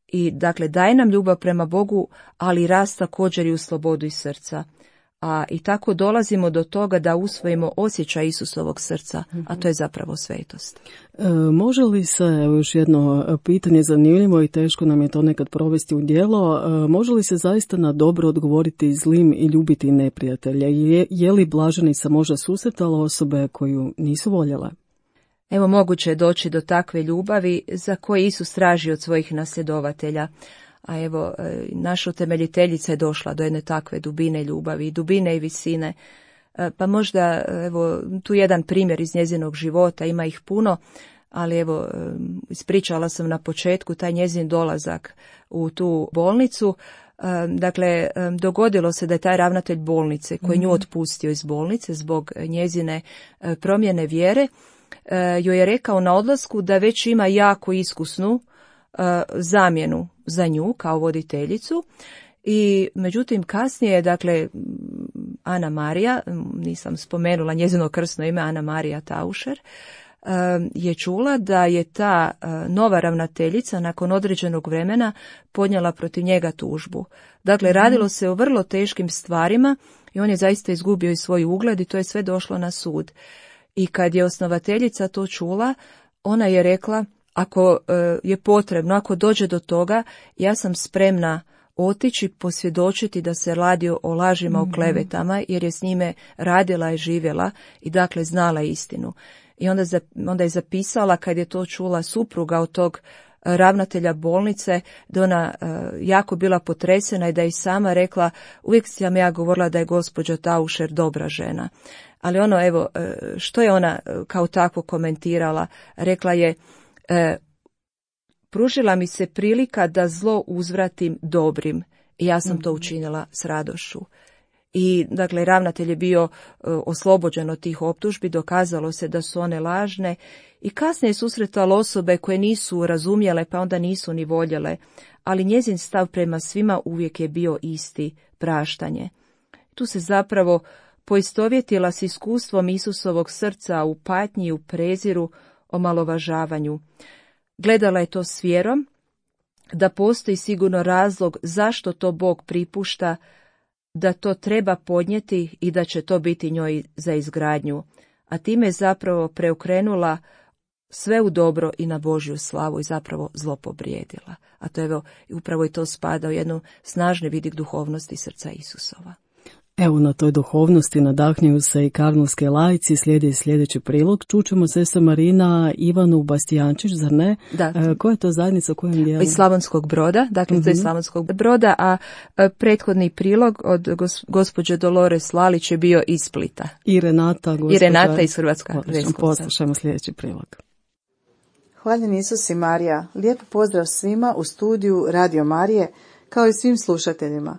i dakle daje nam ljubav prema Bogu, ali rast također i u slobodu iz srca. A i tako dolazimo do toga da usvojimo osjećaj Isusovog srca, a to je zapravo svetost. E, može li se, evo još jedno pitanje zanimljivo i teško nam je to nekad provesti u djelo, e, može li se zaista na dobro odgovoriti zlim i ljubiti neprijatelja? Je, je li blaženica možda susretala osobe koju nisu voljele? Evo, moguće je doći do takve ljubavi za koje Isus traži od svojih nasljedovatelja. A evo, naša utemeljiteljica je došla do jedne takve dubine ljubavi, dubine i visine. Pa možda, evo, tu jedan primjer iz njezinog života, ima ih puno, ali evo, ispričala sam na početku taj njezin dolazak u tu bolnicu. Dakle, dogodilo se da je taj ravnatelj bolnice, koji nju otpustio iz bolnice zbog njezine promjene vjere, joj je rekao na odlasku da već ima jako iskusnu zamjenu za nju kao voditeljicu. I međutim kasnije, dakle, Ana Marija, nisam spomenula njezino krsno ime, Ana Marija Taušer, je čula da je ta nova ravnateljica nakon određenog vremena podnijela protiv njega tužbu. Dakle, radilo se o vrlo teškim stvarima i on je zaista izgubio i svoj ugled i to je sve došlo na sud. I kad je osnovateljica to čula, ona je rekla: ako je potrebno, ako dođe do toga, ja sam spremna otići, posvjedočiti da se radi o lažima, mm-hmm. o klevetama, jer je s njime radila i živjela i dakle znala istinu. I onda, onda je zapisala, kad je to čula supruga od tog ravnatelja bolnice, da ona uh, jako bila potresena i da je sama rekla: uvijek sam ja govorila da je gospođa Taušer dobra žena. Ali ono, evo, što je ona kao tako komentirala? Rekla je: E, pružila mi se prilika da zlo uzvratim dobrim i ja sam to učinila s radošću. I dakle, ravnatelj je bio e, oslobođen od tih optužbi, dokazalo se da su one lažne i kasnije je susretala osobe koje nisu razumjele, pa onda nisu ni voljele, ali njezin stav prema svima uvijek je bio isti: praštanje. Tu se zapravo poistovjetila s iskustvom Isusovog srca u patnji i u preziru, omalovažavanju. Gledala je to s vjerom, da postoji sigurno razlog zašto to Bog pripušta, da to treba podnijeti i da će to biti njoj za izgradnju, a time je zapravo preokrenula sve u dobro i na Božju slavu i zapravo zlo pobrijedila. A to evo, upravo i to spada u jednu snažni vidik duhovnosti srca Isusova. Evo, na toj duhovnosti nadahnjuju se i karmelske laici. Slijedi sljedeći prilog. Čućemo sestra Marina Ivanu Bastijančić, zar ne? Da. E, koja je to zajednica, u kojem dijelu? Iz Slavonskog Broda, dakle mm-hmm. to je Slavonskog Broda, a prethodni prilog od gos, gospođe Dolores Lalić je bio iz Splita. I Renata, gospođa... I Renata iz Hrvatska. Poslušajmo sljedeći prilog. Hvaljen Isus i Marija, lijep pozdrav svima u studiju Radio Marije, kao i svim slušateljima.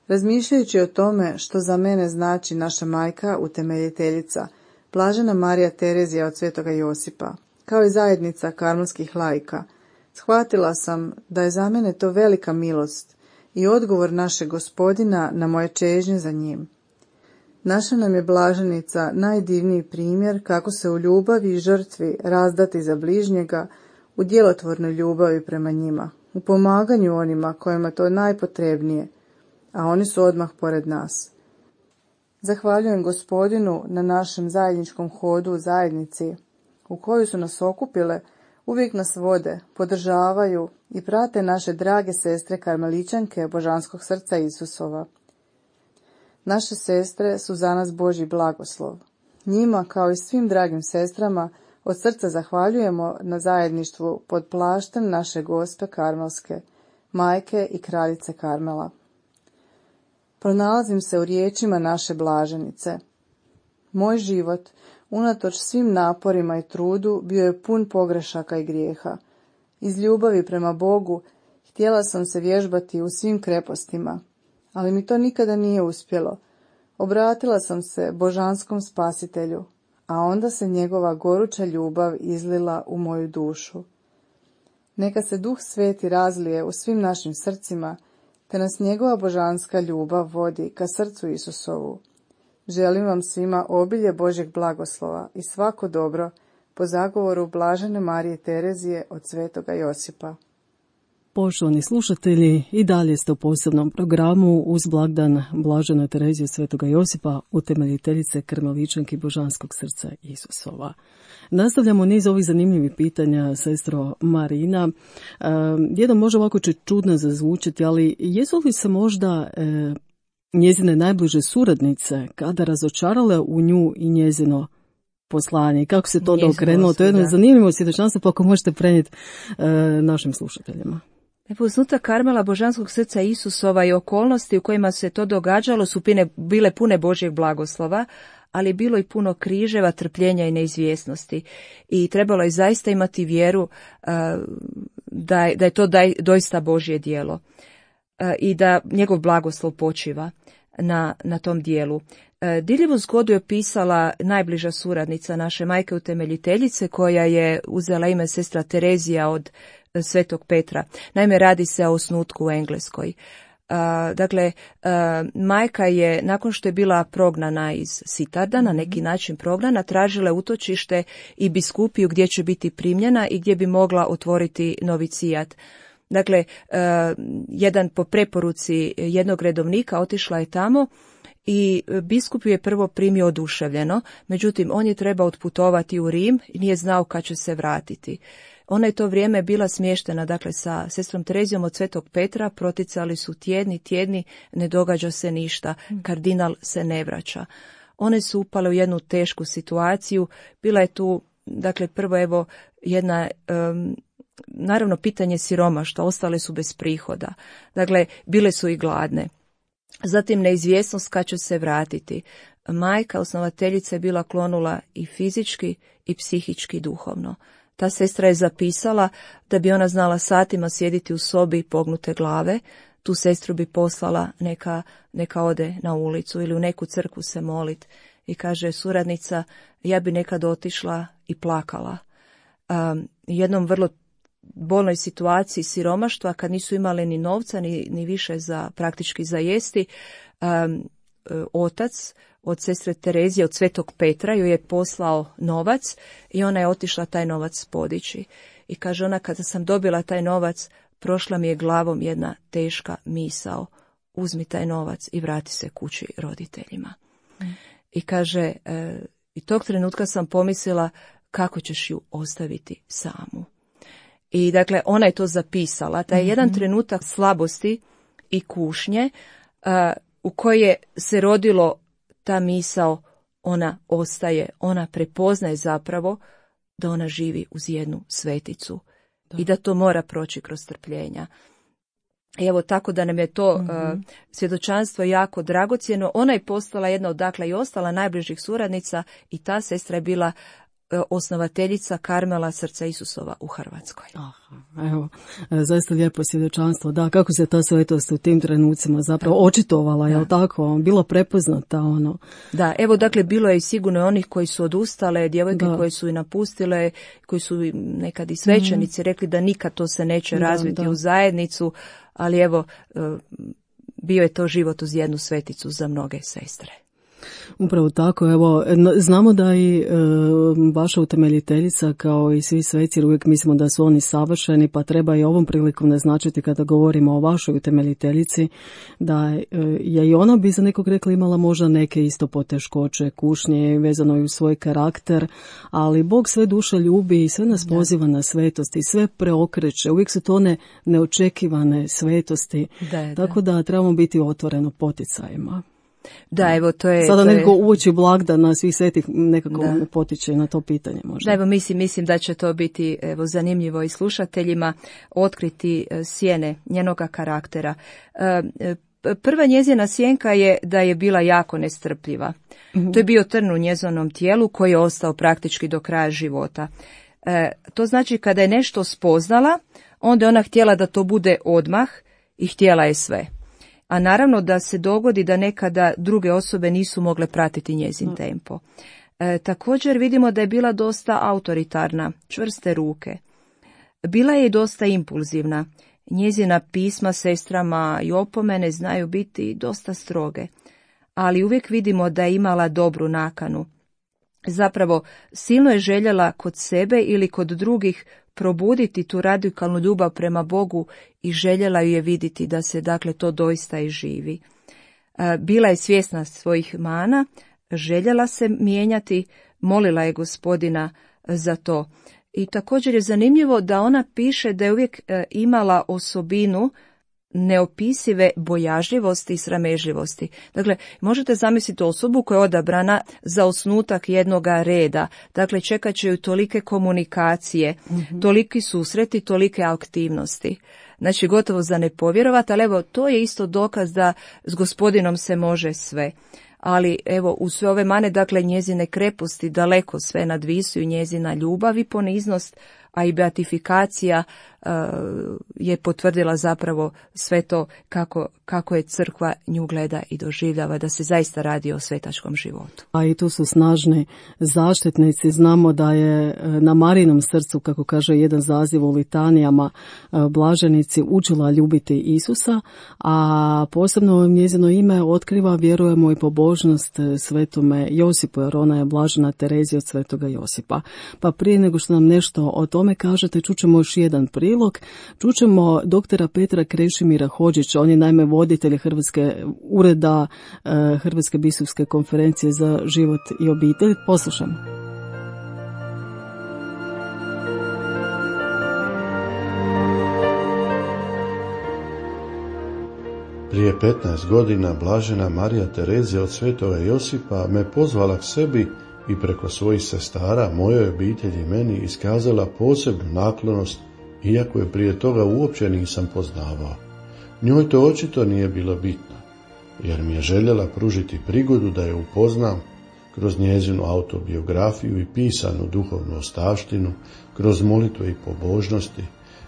Razmišljajući o tome što za mene znači naša majka, utemeljiteljica, blažena Marija Terezija od Svetoga Josipa, kao i zajednica karmelskih laika, shvatila sam da je za mene to velika milost i odgovor našeg Gospodina na moje čežnje za njim. Naša nam je blaženica najdivniji primjer kako se u ljubavi i žrtvi razdati za bližnjega, u djelotvornoj ljubavi prema njima, u pomaganju onima kojima to najpotrebnije, a oni su odmah pored nas. Zahvaljujem Gospodinu na našem zajedničkom hodu u zajednici, u koju su nas okupile, uvijek nas vode, podržavaju i prate naše drage sestre karmeličanke Božanskog srca Isusova. Naše sestre su za nas Božji blagoslov. Njima, kao i svim dragim sestrama, od srca zahvaljujemo na zajedništvu pod plaštem naše Gospe Karmelske, majke i kraljice Karmela. Pronalazim se u riječima naše blaženice. Moj život, unatoč svim naporima i trudu, bio je pun pogrešaka i grijeha. Iz ljubavi prema Bogu htjela sam se vježbati u svim krepostima, ali mi to nikada nije uspjelo. Obratila sam se božanskom spasitelju, a onda se njegova goruća ljubav izlila u moju dušu. Neka se Duh Sveti razlije u svim našim srcima, te nas njegova božanska ljubav vodi ka srcu Isusovu. Želim vam svima obilje Božjeg blagoslova i svako dobro po zagovoru blažene Marije Terezije od Svetoga Josipa. Poštovani slušatelji, i dalje ste u posebnom programu uz blagdan blažene Terezije Svetoga Josipa, utemeljiteljice Karmeličanki Božanskog srca Isusova. Nastavljamo niz ovih zanimljivih pitanja, sestro Marina. E, jedan može ovako će čudno zazvučiti, ali jesu li se možda e, njezine najbliže suradnice kada razočarale u nju i njezino poslanje i kako se to onda okrenulo? To je jedno zanimljivo svjedočanstvo, pa ako možete prenijeti e, našim slušateljima. Posnutak Karmela Božanskog srca Isusova i okolnosti u kojima se to događalo su pine, bile pune Božjeg blagoslova, ali bilo i puno križeva, trpljenja i neizvjesnosti. I trebalo je zaista imati vjeru uh, da, je, da je to daj, doista Božje djelo uh, i da njegov blagoslov počiva na, na tom dijelu. Uh, Diljevu zgodu je pisala najbliža suradnica naše majke utemeljiteljice, koja je uzela ime sestra Terezija od Svetog Petra. Naime, radi se o osnutku u Engleskoj. Uh, dakle, uh, majka je, nakon što je bila prognana iz Sitarda, na neki način prognana, tražila utočište i biskupiju gdje će biti primljena i gdje bi mogla otvoriti novicijat. Dakle, uh, jedan po preporuci jednog redovnika otišla je tamo i biskup ju je prvo primio oduševljeno, međutim on je trebao otputovati u Rim i nije znao kad će se vratiti. Ona je to vrijeme bila smještena, dakle, sa sestrom Terezijom od Svetog Petra, proticali su tjedni, tjedni, ne događa se ništa, kardinal se ne vraća. One su upale u jednu tešku situaciju, bila je tu, dakle, prvo evo jedna, um, naravno pitanje siromaštva, ostale su bez prihoda, dakle, bile su i gladne. Zatim neizvjesnost kad će se vratiti. Majka, osnovateljica, je bila klonula i fizički i psihički duhovno. Ta sestra je zapisala da bi ona znala satima sjediti u sobi pognute glave, tu sestru bi poslala neka, neka ode na ulicu ili u neku crkvu se molit. I kaže suradnica, ja bi nekad otišla i plakala. Um, jednom vrlo bolnoj situaciji siromaštva, kad nisu imali ni novca, ni, ni više za praktički za jesti, um, otac od sestre Terezije, od Svetog Petra, joj je poslao novac i ona je otišla taj novac podići. I kaže ona, kada sam dobila taj novac, prošla mi je glavom jedna teška misao, uzmi taj novac i vrati se kući roditeljima. Mm. I kaže, e, i tog trenutka sam pomislila kako ćeš ju ostaviti samu. I dakle, ona je to zapisala, taj mm-hmm. jedan trenutak slabosti i kušnje, a, u kojoj se rodilo ta misao, ona ostaje, ona prepoznaje zapravo da ona živi uz jednu sveticu da. I da to mora proći kroz trpljenja. I evo tako da nam je to mm-hmm. uh, svjedočanstvo jako dragocjeno. Ona je postala jedna od, dakle, i ostala najbližih suradnica i ta sestra je bila osnovateljica Karmela Srca Isusova u Hrvatskoj. Aha, evo, zaista lijepo svjedočanstvo. Da, kako se ta svetost u tim trenucima zapravo očitovala, je li tako? Bilo prepoznata ono. Da, evo dakle bilo je sigurno onih koji su odustale, djevojke da. koje su i napustile, koji su nekad i svećenici mm. rekli da nikad to se neće da, razviti da. u zajednicu, ali evo bio je to život uz jednu sveticu za mnoge sestre. Upravo tako, evo, znamo da i e, vaša utemeljiteljica kao i svi sveci, jer uvijek mislimo da su oni savršeni, pa treba i ovom prilikom naznačiti kada govorimo o vašoj utemeljiteljici, da e, je i ona bi za nekog rekla imala možda neke isto poteškoće, kušnje, vezano i u svoj karakter, ali Bog sve duše ljubi i sve nas poziva na svetosti, sve preokreće, uvijek su to one neočekivane svetosti, da, tako da trebamo biti otvoreno poticajima. Da, evo to je... Sada to nekako je... uoči blagdana svih svetih nekako da. potiče na to pitanje možda. Da, evo mislim, mislim da će to biti evo, zanimljivo i slušateljima otkriti sjene njenoga karaktera. Prva njezina sjenka je da je bila jako nestrpljiva. Mm-hmm. To je bio trn u njezinom tijelu koji je ostao praktički do kraja života. E, to znači kada je nešto spoznala, onda je ona htjela da to bude odmah i htjela je sve. A naravno da se dogodi da nekada druge osobe nisu mogle pratiti njezin tempo. E, također vidimo da je bila dosta autoritarna, čvrste ruke. Bila je i dosta impulzivna. Njezina pisma sestrama i opomene znaju biti dosta stroge. Ali uvijek vidimo da je imala dobru nakanu. Zapravo, silno je željela kod sebe ili kod drugih probuditi tu radikalnu ljubav prema Bogu i željela ju je vidjeti da se dakle to doista i živi. Bila je svjesna svojih mana, željela se mijenjati, molila je Gospodina za to. I također je zanimljivo da ona piše da je uvijek imala osobinu neopisive bojažljivosti i sramežljivosti. Dakle, možete zamisliti osobu koja je odabrana za osnutak jednoga reda. Dakle, čekat će ju tolike komunikacije, mm-hmm. toliki susreti, tolike aktivnosti. Znači, gotovo za ne povjerovati, ali evo, to je isto dokaz da s Gospodinom se može sve. Ali evo, u sve ove mane, dakle, njezine kreposti daleko sve nadvisuju njezina ljubav i poniznost, a i beatifikacija uh, je potvrdila zapravo sve to kako, kako je crkva nju gleda i doživljava, da se zaista radi o svetačkom životu. A i tu su snažni zaštitnici. Znamo da je na Marijinom srcu, kako kaže jedan zaziv u litanijama, blaženici učila ljubiti Isusa, a posebno njezino ime otkriva, vjerujemo, i pobožnost svetome Josipu, jer ona je blažena Terezija od svetoga Josipa. Pa prije nego što nam nešto o tome kažete, čućemo još jedan prilog. Čućemo doktora Petra Krešimira Hodžića, on je naime voditelj Hrvatske ureda Hrvatske biskupske konferencije za život i obitelj. Poslušamo. Prije petnaest godina blažena Marija Terezija od svetoga Josipa me pozvala k sebi i preko svojih sestara, mojoj obitelji i meni iskazala posebnu naklonost, iako je prije toga uopće nisam poznavao. Njoj to očito nije bilo bitno, jer mi je željela pružiti prigodu da je upoznam kroz njezinu autobiografiju i pisanu duhovnu ostavštinu, kroz molitve i pobožnosti,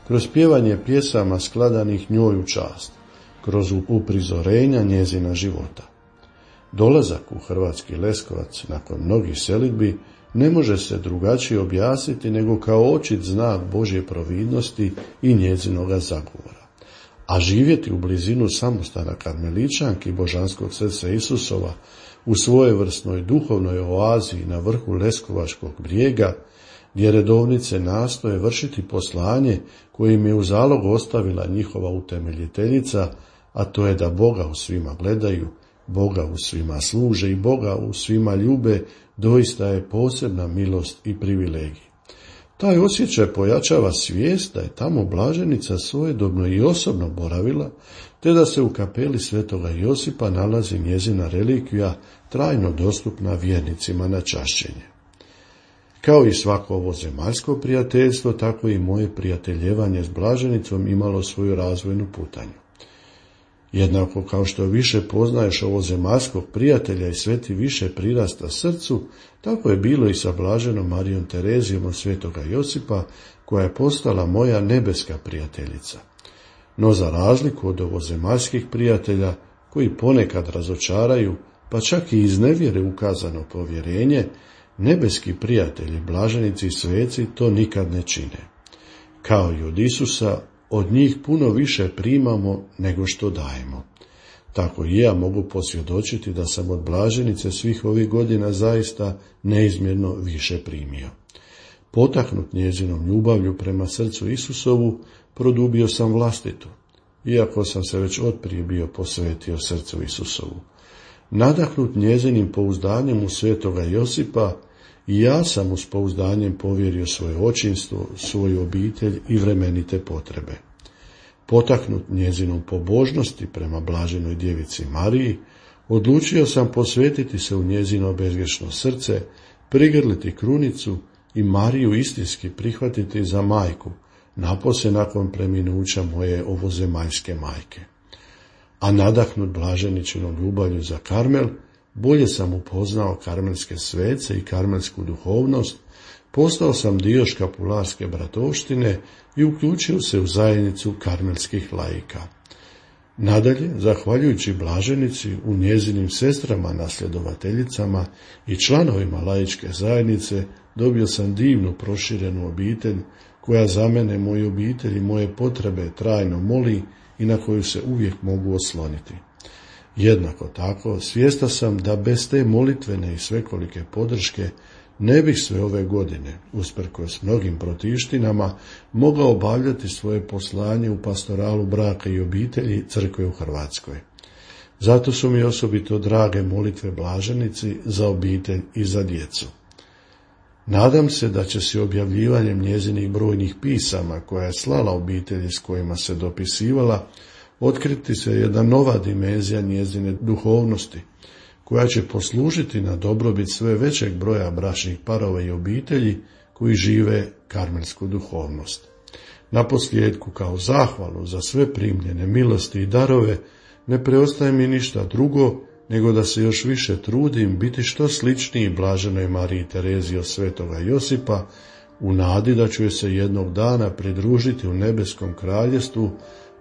kroz pjevanje pjesama skladanih njoj u čast, kroz uprizorenja njezina života. Dolazak u Hrvatski Leskovac nakon mnogih selidbi ne može se drugačije objasniti nego kao očit znak Božje providnosti i njezinoga zagovora. A živjeti u blizinu samostana Karmeličanki Božanskog srca Isusova u svojevrsnoj duhovnoj oazi na vrhu Leskovačkog brijega, gdje redovnice nastoje vršiti poslanje koje im je u zalog ostavila njihova utemeljiteljica, a to je da Boga u svima gledaju, Boga u svima služe i Boga u svima ljube, doista je posebna milost i privilegij. Taj osjećaj pojačava svijest da je tamo blaženica svojedobno i osobno boravila, te da se u kapeli svetoga Josipa nalazi njezina relikvija trajno dostupna vjernicima na čašćenje. Kao i svako ovo zemaljsko prijateljstvo, tako i moje prijateljevanje s blaženicom imalo svoju razvojnu putanju. Jednako kao što više poznaješ ovozemaljskog prijatelja i sve ti više prirasta srcu, tako je bilo i sa blaženom Marijom Terezijom od svetoga Josipa, koja je postala moja nebeska prijateljica. No za razliku od ovozemaljskih prijatelja, koji ponekad razočaraju, pa čak i iz nevjere ukazano povjerenje, nebeski prijatelji, blaženici i sveci to nikad ne čine. Kao i od Isusa, od njih puno više primamo nego što dajemo. Tako i ja mogu posvjedočiti da sam od blaženice svih ovih godina zaista neizmjerno više primio. Potaknut njezinom ljubavlju prema srcu Isusovu, produbio sam vlastitu, iako sam se već otprije bio posvetio srcu Isusovu. Nadahnut njezinim pouzdanjem u svetoga Josipa, i ja sam uz pouzdanjem povjerio svoje očinstvo, svoju obitelj i vremenite potrebe. Potaknut njezinom pobožnosti prema blaženoj djevici Mariji, odlučio sam posvetiti se u njezino bezgrešno srce, prigrliti krunicu i Mariju istinski prihvatiti za majku, napose nakon preminuća moje ovozemaljske majke. A nadahnut blaženičinom ljubavlju za Karmel, bolje sam upoznao karmelske svece i karmelsku duhovnost, postao sam dio škapularske bratovštine i uključio se u zajednicu karmelskih laika. Nadalje, zahvaljujući blaženici, u njezinim sestrama nasljedovateljicama i članovima laičke zajednice, dobio sam divnu proširenu obitelj, koja za mene, moju obitelj i moje potrebe trajno moli i na koju se uvijek mogu osloniti. Jednako tako, svjestan sam da bez te molitvene i svekolike podrške ne bih sve ove godine, usprkos mnogim protivštinama, mogao obavljati svoje poslanje u pastoralu braka i obitelji crkve u Hrvatskoj. Zato su mi osobito drage molitve blaženici za obitelj i za djecu. Nadam se da će se objavljivanjem njezinih brojnih pisama, koja je slala obitelji s kojima se dopisivala, otkriti se jedna nova dimenzija njezine duhovnosti, koja će poslužiti na dobrobit sve većeg broja bračnih parova i obitelji koji žive karmelsku duhovnost. Naposljetku, kao zahvalu za sve primljene milosti i darove, ne preostaje mi ništa drugo nego da se još više trudim biti što sličniji blaženoj Mariji Tereziji od svetoga Josipa, u nadi da ću joj se jednog dana pridružiti u nebeskom kraljestvu,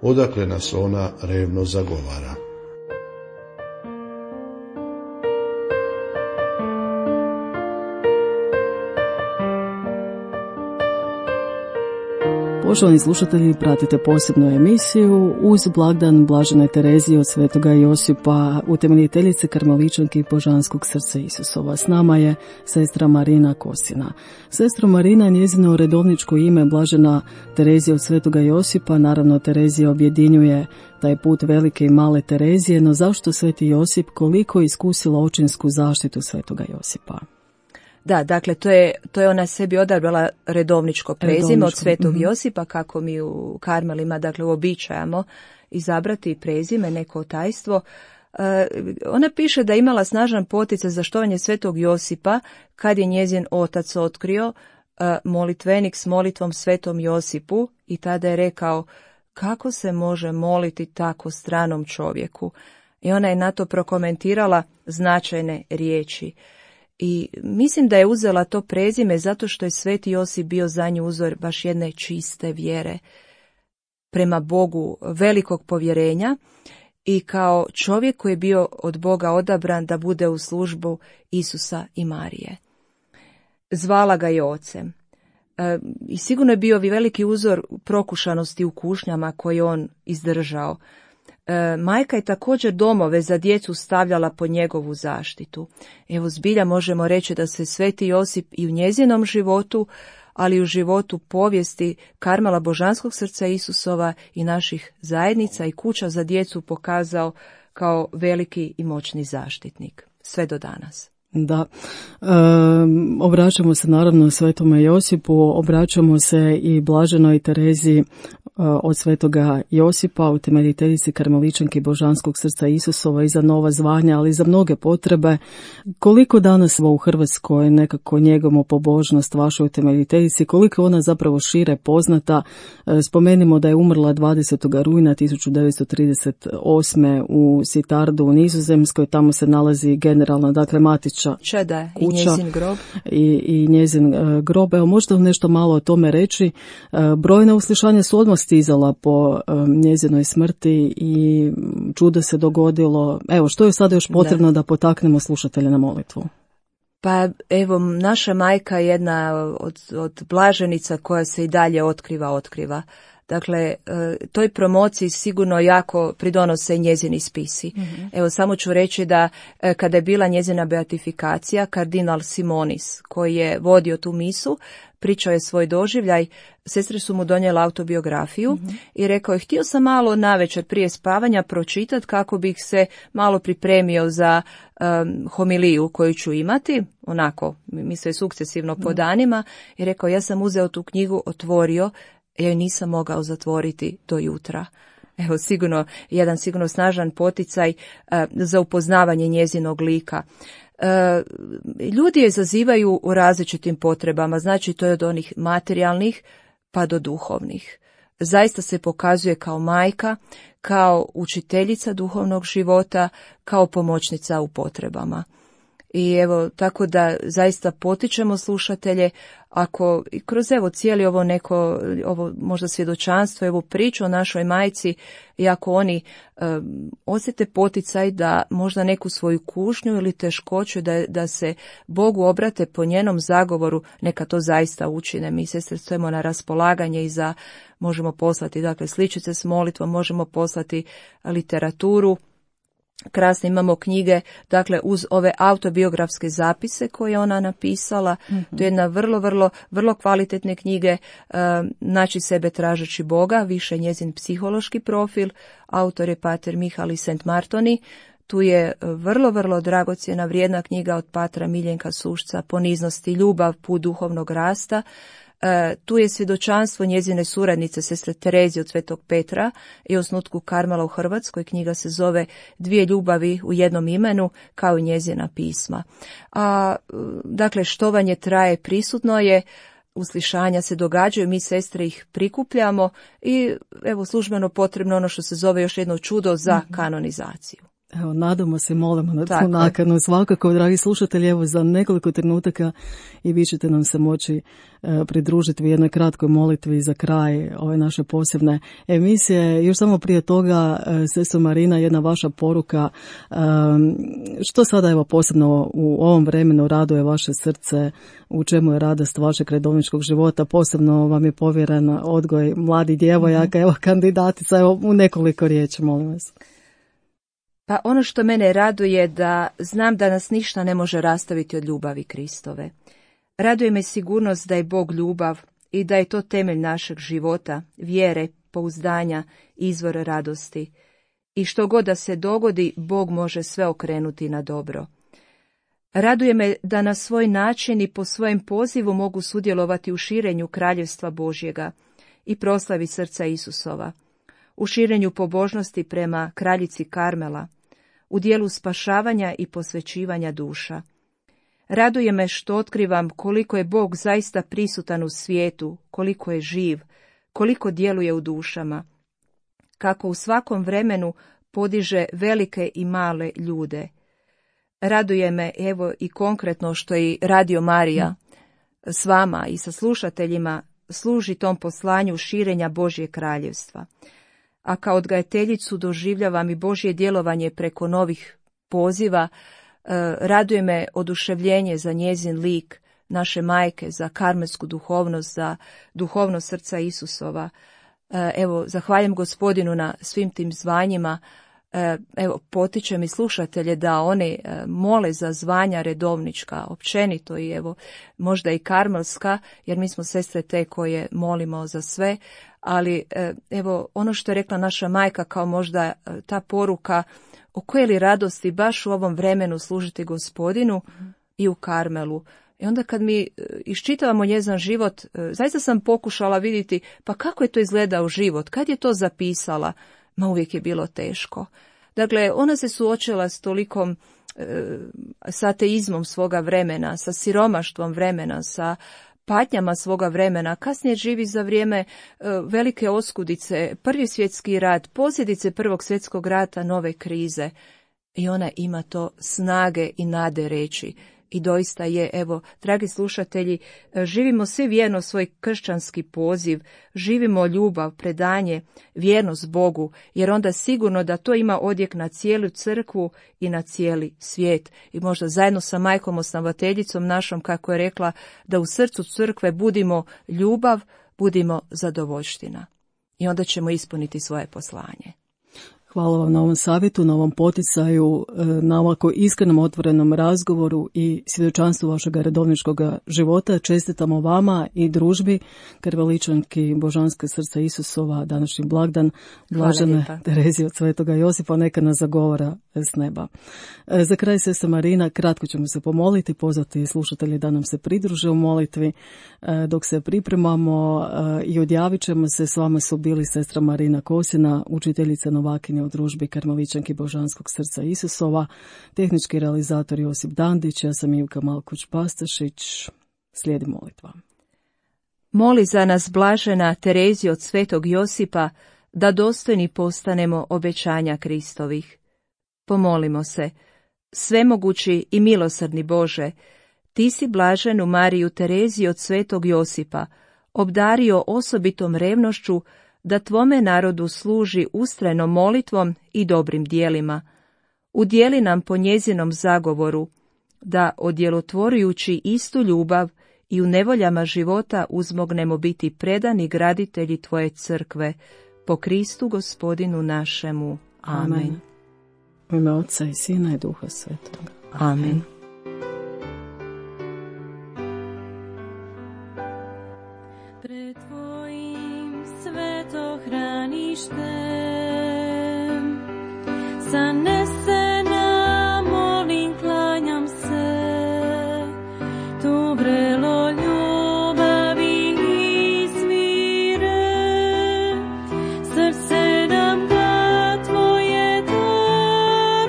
odakle nas ona revno zagovara. Poštovani slušatelji, pratite posebnu emisiju uz blagdan Blažene Terezije od svetoga Josipa, utemeljiteljice Karmeličanke i Božanskog srca Isusova. S nama je sestra Marina Kosina. Sestra Marina, njezino redovničko ime Blažena Terezija od svetoga Josipa, naravno Terezija objedinjuje taj put velike i male Terezije, no zašto sveti Josip, koliko je iskusila očinsku zaštitu svetoga Josipa? Da, dakle, to je, to je ona sebi odabrala redovničko prezime redovničko. Od svetog mm-hmm. Josipa, kako mi u Karmelima, dakle, uobičajamo izabrati prezime, neko tajstvo. E, ona piše da je imala snažan poticaj za štovanje svetog Josipa, kad je njezin otac otkrio e, molitvenik s molitvom svetom Josipu, i tada je rekao, kako se može moliti tako stranom čovjeku? I ona je na to prokomentirala značajne riječi. I mislim da je uzela to prezime zato što je sveti Josip bio za nju uzor baš jedne čiste vjere prema Bogu, velikog povjerenja, i kao čovjek koji je bio od Boga odabran da bude u službu Isusa i Marije. Zvala ga je ocem. E, I sigurno je bio veliki uzor prokušanosti u kušnjama koje on izdržao. E, majka je također domove za djecu stavljala pod njegovu zaštitu. Evo, zbilja možemo reći da se sveti Josip i u njezinom životu, ali i u životu povijesti Karmela Božanskog srca Isusova i naših zajednica i kuća za djecu pokazao kao veliki i moćni zaštitnik, sve do danas. Da, e, obraćamo se naravno svetome Josipu, obraćamo se i Blaženoj Tereziji od svetoga Josipa, utemeljiteljici Karmeličanke Božanskog srca Isusova, i za nova zvanja, ali i za mnoge potrebe. Koliko danas u Hrvatskoj nekako njegujemo pobožnost vašoj utemeljiteljici, koliko ona zapravo šire poznata? Spomenimo da je umrla dvadesetog rujna tisuću devetsto trideset osme u Sitardu u Nizozemskoj, tamo se nalazi generalna, dakle matiča Čada, kuća i njezin grob. I, i njezin uh, grob. Evo, možete nešto malo o tome reći? Uh, brojna uslišanja su odmah stizala po um, njezinoj smrti i čudo se dogodilo. Evo, što je sada još potrebno da, da potaknemo slušatelje na molitvu? Pa evo, naša majka je jedna od, od blaženica koja se i dalje otkriva, otkriva. Dakle, toj promociji sigurno jako pridonose i njezini spisi. Mm-hmm. Evo, samo ću reći da kada je bila njezina beatifikacija, kardinal Simonis, koji je vodio tu misu, pričao je svoj doživljaj, sestre su mu donijela autobiografiju mm-hmm. i rekao je, htio sam malo navečer prije spavanja pročitati kako bih se malo pripremio za um, homiliju koju ću imati, onako, mislio je sukcesivno po danima, i rekao, ja sam uzeo tu knjigu, otvorio, ja ju nisam mogao zatvoriti do jutra. Evo, sigurno, jedan sigurno snažan poticaj uh, za upoznavanje njezinog lika. Uh, ljudi je zazivaju u različitim potrebama, znači to je od onih materijalnih pa do duhovnih. Zaista se pokazuje kao majka, kao učiteljica duhovnog života, kao pomoćnica u potrebama. I evo, tako da zaista potičemo slušatelje, ako i kroz evo cijeli ovo neko, ovo možda svjedočanstvo, evo priču o našoj majci, i ako oni um, osjete poticaj da možda neku svoju kušnju ili teškoću, da, da se Bogu obrate po njenom zagovoru, neka to zaista učine. Mi sestre stojimo na raspolaganje i za, možemo poslati dakle sličice s molitvom, možemo poslati literaturu. Krasne imamo knjige, dakle uz ove autobiografske zapise koje ona napisala, mm-hmm. to je jedna vrlo, vrlo, vrlo kvalitetne knjige, uh, Naći sebe tražeći Boga, više njezin psihološki profil, autor je pater Mihali Sent Martoni, tu je vrlo, vrlo dragocjena, vrijedna knjiga od patra Miljenka Sušca, Poniznost i ljubav, put duhovnog rasta. E, tu je svjedočanstvo njezine suradnice, sestre Terezije od Svetog Petra i osnutku Karmela u Hrvatskoj. Knjiga se zove Dvije ljubavi u jednom imenu, kao i njezina pisma. A, dakle, štovanje traje, prisutno je, uslišanja se događaju, mi sestre ih prikupljamo i evo službeno potrebno ono što se zove još jedno čudo za kanonizaciju. Evo, nadamo se, molimo na tu nakanu. Svakako, dragi slušatelji, evo za nekoliko trenutaka i vi ćete nam se moći e, pridružiti u jednoj kratkoj molitvi za kraj ove naše posebne emisije. Još samo prije toga, e, sestro Marina, jedna vaša poruka. E, što sada evo posebno u ovom vremenu raduje vaše srce, u čemu je radost vašeg redovničkog života? Posebno vam je povjeren odgoj mladih djevojaka, evo kandidatica, evo u nekoliko riječi, molim vas. Pa ono što mene raduje da znam da nas ništa ne može rastaviti od ljubavi Kristove. Raduje me sigurnost da je Bog ljubav i da je to temelj našeg života, vjere, pouzdanja, izvor radosti. I što god da se dogodi, Bog može sve okrenuti na dobro. Raduje me da na svoj način i po svojem pozivu mogu sudjelovati u širenju kraljevstva Božjega i proslavi srca Isusova, u širenju pobožnosti prema kraljici Karmela, u dijelu spašavanja i posvećivanja duša. Raduje me što otkrivam koliko je Bog zaista prisutan u svijetu, koliko je živ, koliko djeluje u dušama, kako u svakom vremenu podiže velike i male ljude. Raduje me evo i konkretno što i Radio Marija s vama i sa slušateljima služi tom poslanju širenja Božje kraljevstva. A kao odgajateljicu doživljavam i Božje djelovanje preko novih poziva. E, raduje me oduševljenje za njezin lik, naše majke, za karmelsku duhovnost, za duhovnost srca Isusova. E, evo, zahvaljujem Gospodinu na svim tim zvanjima. E, evo, potičem i slušatelje da oni e, mole za zvanja redovnička, općenito i evo, možda i karmelska, jer mi smo sestre te koje molimo za sve. Ali evo ono što je rekla naša majka kao možda ta poruka o koje li radosti baš u ovom vremenu služiti Gospodinu mm. i u Karmelu. I onda kad mi iščitavamo njezin život, zaista sam pokušala vidjeti pa kako je to izgledao život, kad je to zapisala, ma uvijek je bilo teško. Dakle, ona se suočila s tolikom, e, s ateizmom svoga vremena, sa siromaštvom vremena, sa patnjama svoga vremena, kasnije živi za vrijeme e, velike oskudice, prvi svjetski rat, posljedice prvog svjetskog rata, nove krize. I ona ima to snage i nade reći. I doista je, evo, dragi slušatelji, živimo svi vjerno svoj kršćanski poziv, živimo ljubav, predanje, vjernost Bogu, jer onda sigurno da to ima odjek na cijelu crkvu i na cijeli svijet. I možda zajedno sa majkom osnovateljicom našom, kako je rekla, da u srcu crkve budimo ljubav, budimo zadovoljština. I onda ćemo ispuniti svoje poslanje. Hvala vam na ovom savjetu, na ovom poticaju, na ovako iskrenom otvorenom razgovoru i svjedočanstvu vašeg redovničkog života. Čestitamo vama i družbi Karmeličanki Božanske srca Isusova današnji blagdan, blažene Terezije od Svetoga Josipa, neka nas zagovara s neba. Za kraj, sestra Marina, kratko ćemo se pomoliti, pozvati slušatelji da nam se pridruže u molitvi. Dok se pripremamo i odjavit ćemo se, s vama su bili sestra Marina Kosina, učiteljica novakinja u družbi Karmeličanki Božanskog srca Isusova, tehnički realizator Josip Dandić, ja sam Ivka Malkuć-Pastašić. Slijedi molitva. Moli za nas, blažena Terezija od Svetog Josipa, da dostojni postanemo obećanja Kristovih. Pomolimo se. Svemogući i milosrdni Bože, ti si blaženu Mariju Tereziju od Svetog Josipa obdario osobitom revnošću da tvome narodu služi ustrajnom molitvom i dobrim dijelima. Udjeli nam po njezinom zagovoru, da odjelotvorujući istu ljubav i u nevoljama života uzmognemo biti predani graditelji tvoje crkve, po Kristu Gospodinu našemu. Amen. Amen. U ime Otca i Sina i Duha Svetoga. Amen. Pred tvojim svetohraništem zanesena molim, klanjam se, tu vrelo ljubavi izvire, srce nam ga tvoje daruje.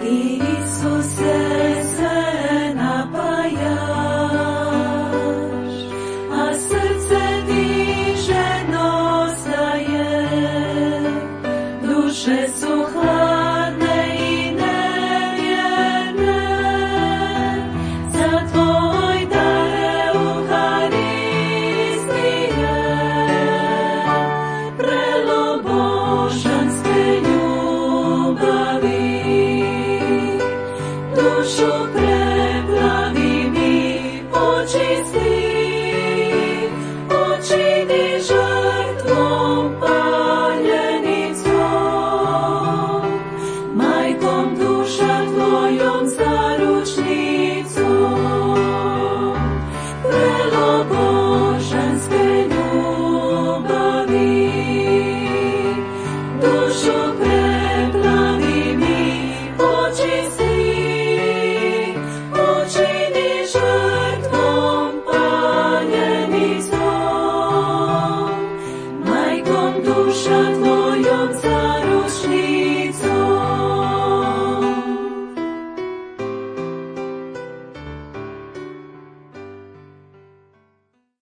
Ti, Isuse, se napajaš, a srce ti žedno staje. Duše su hladne i nevjerne, za tvoj dar Euharistije. Vrelo božanske ljubavi, dušu preplavi mi, očisti, učini žrtvom paljenicom, majkom duša tvojom zaručnicom. Vrelo božanske ljubavi, dušu preplavi mi, očisti, učini žrtvom paljenicom, majkom duša tvojom zaručnicom.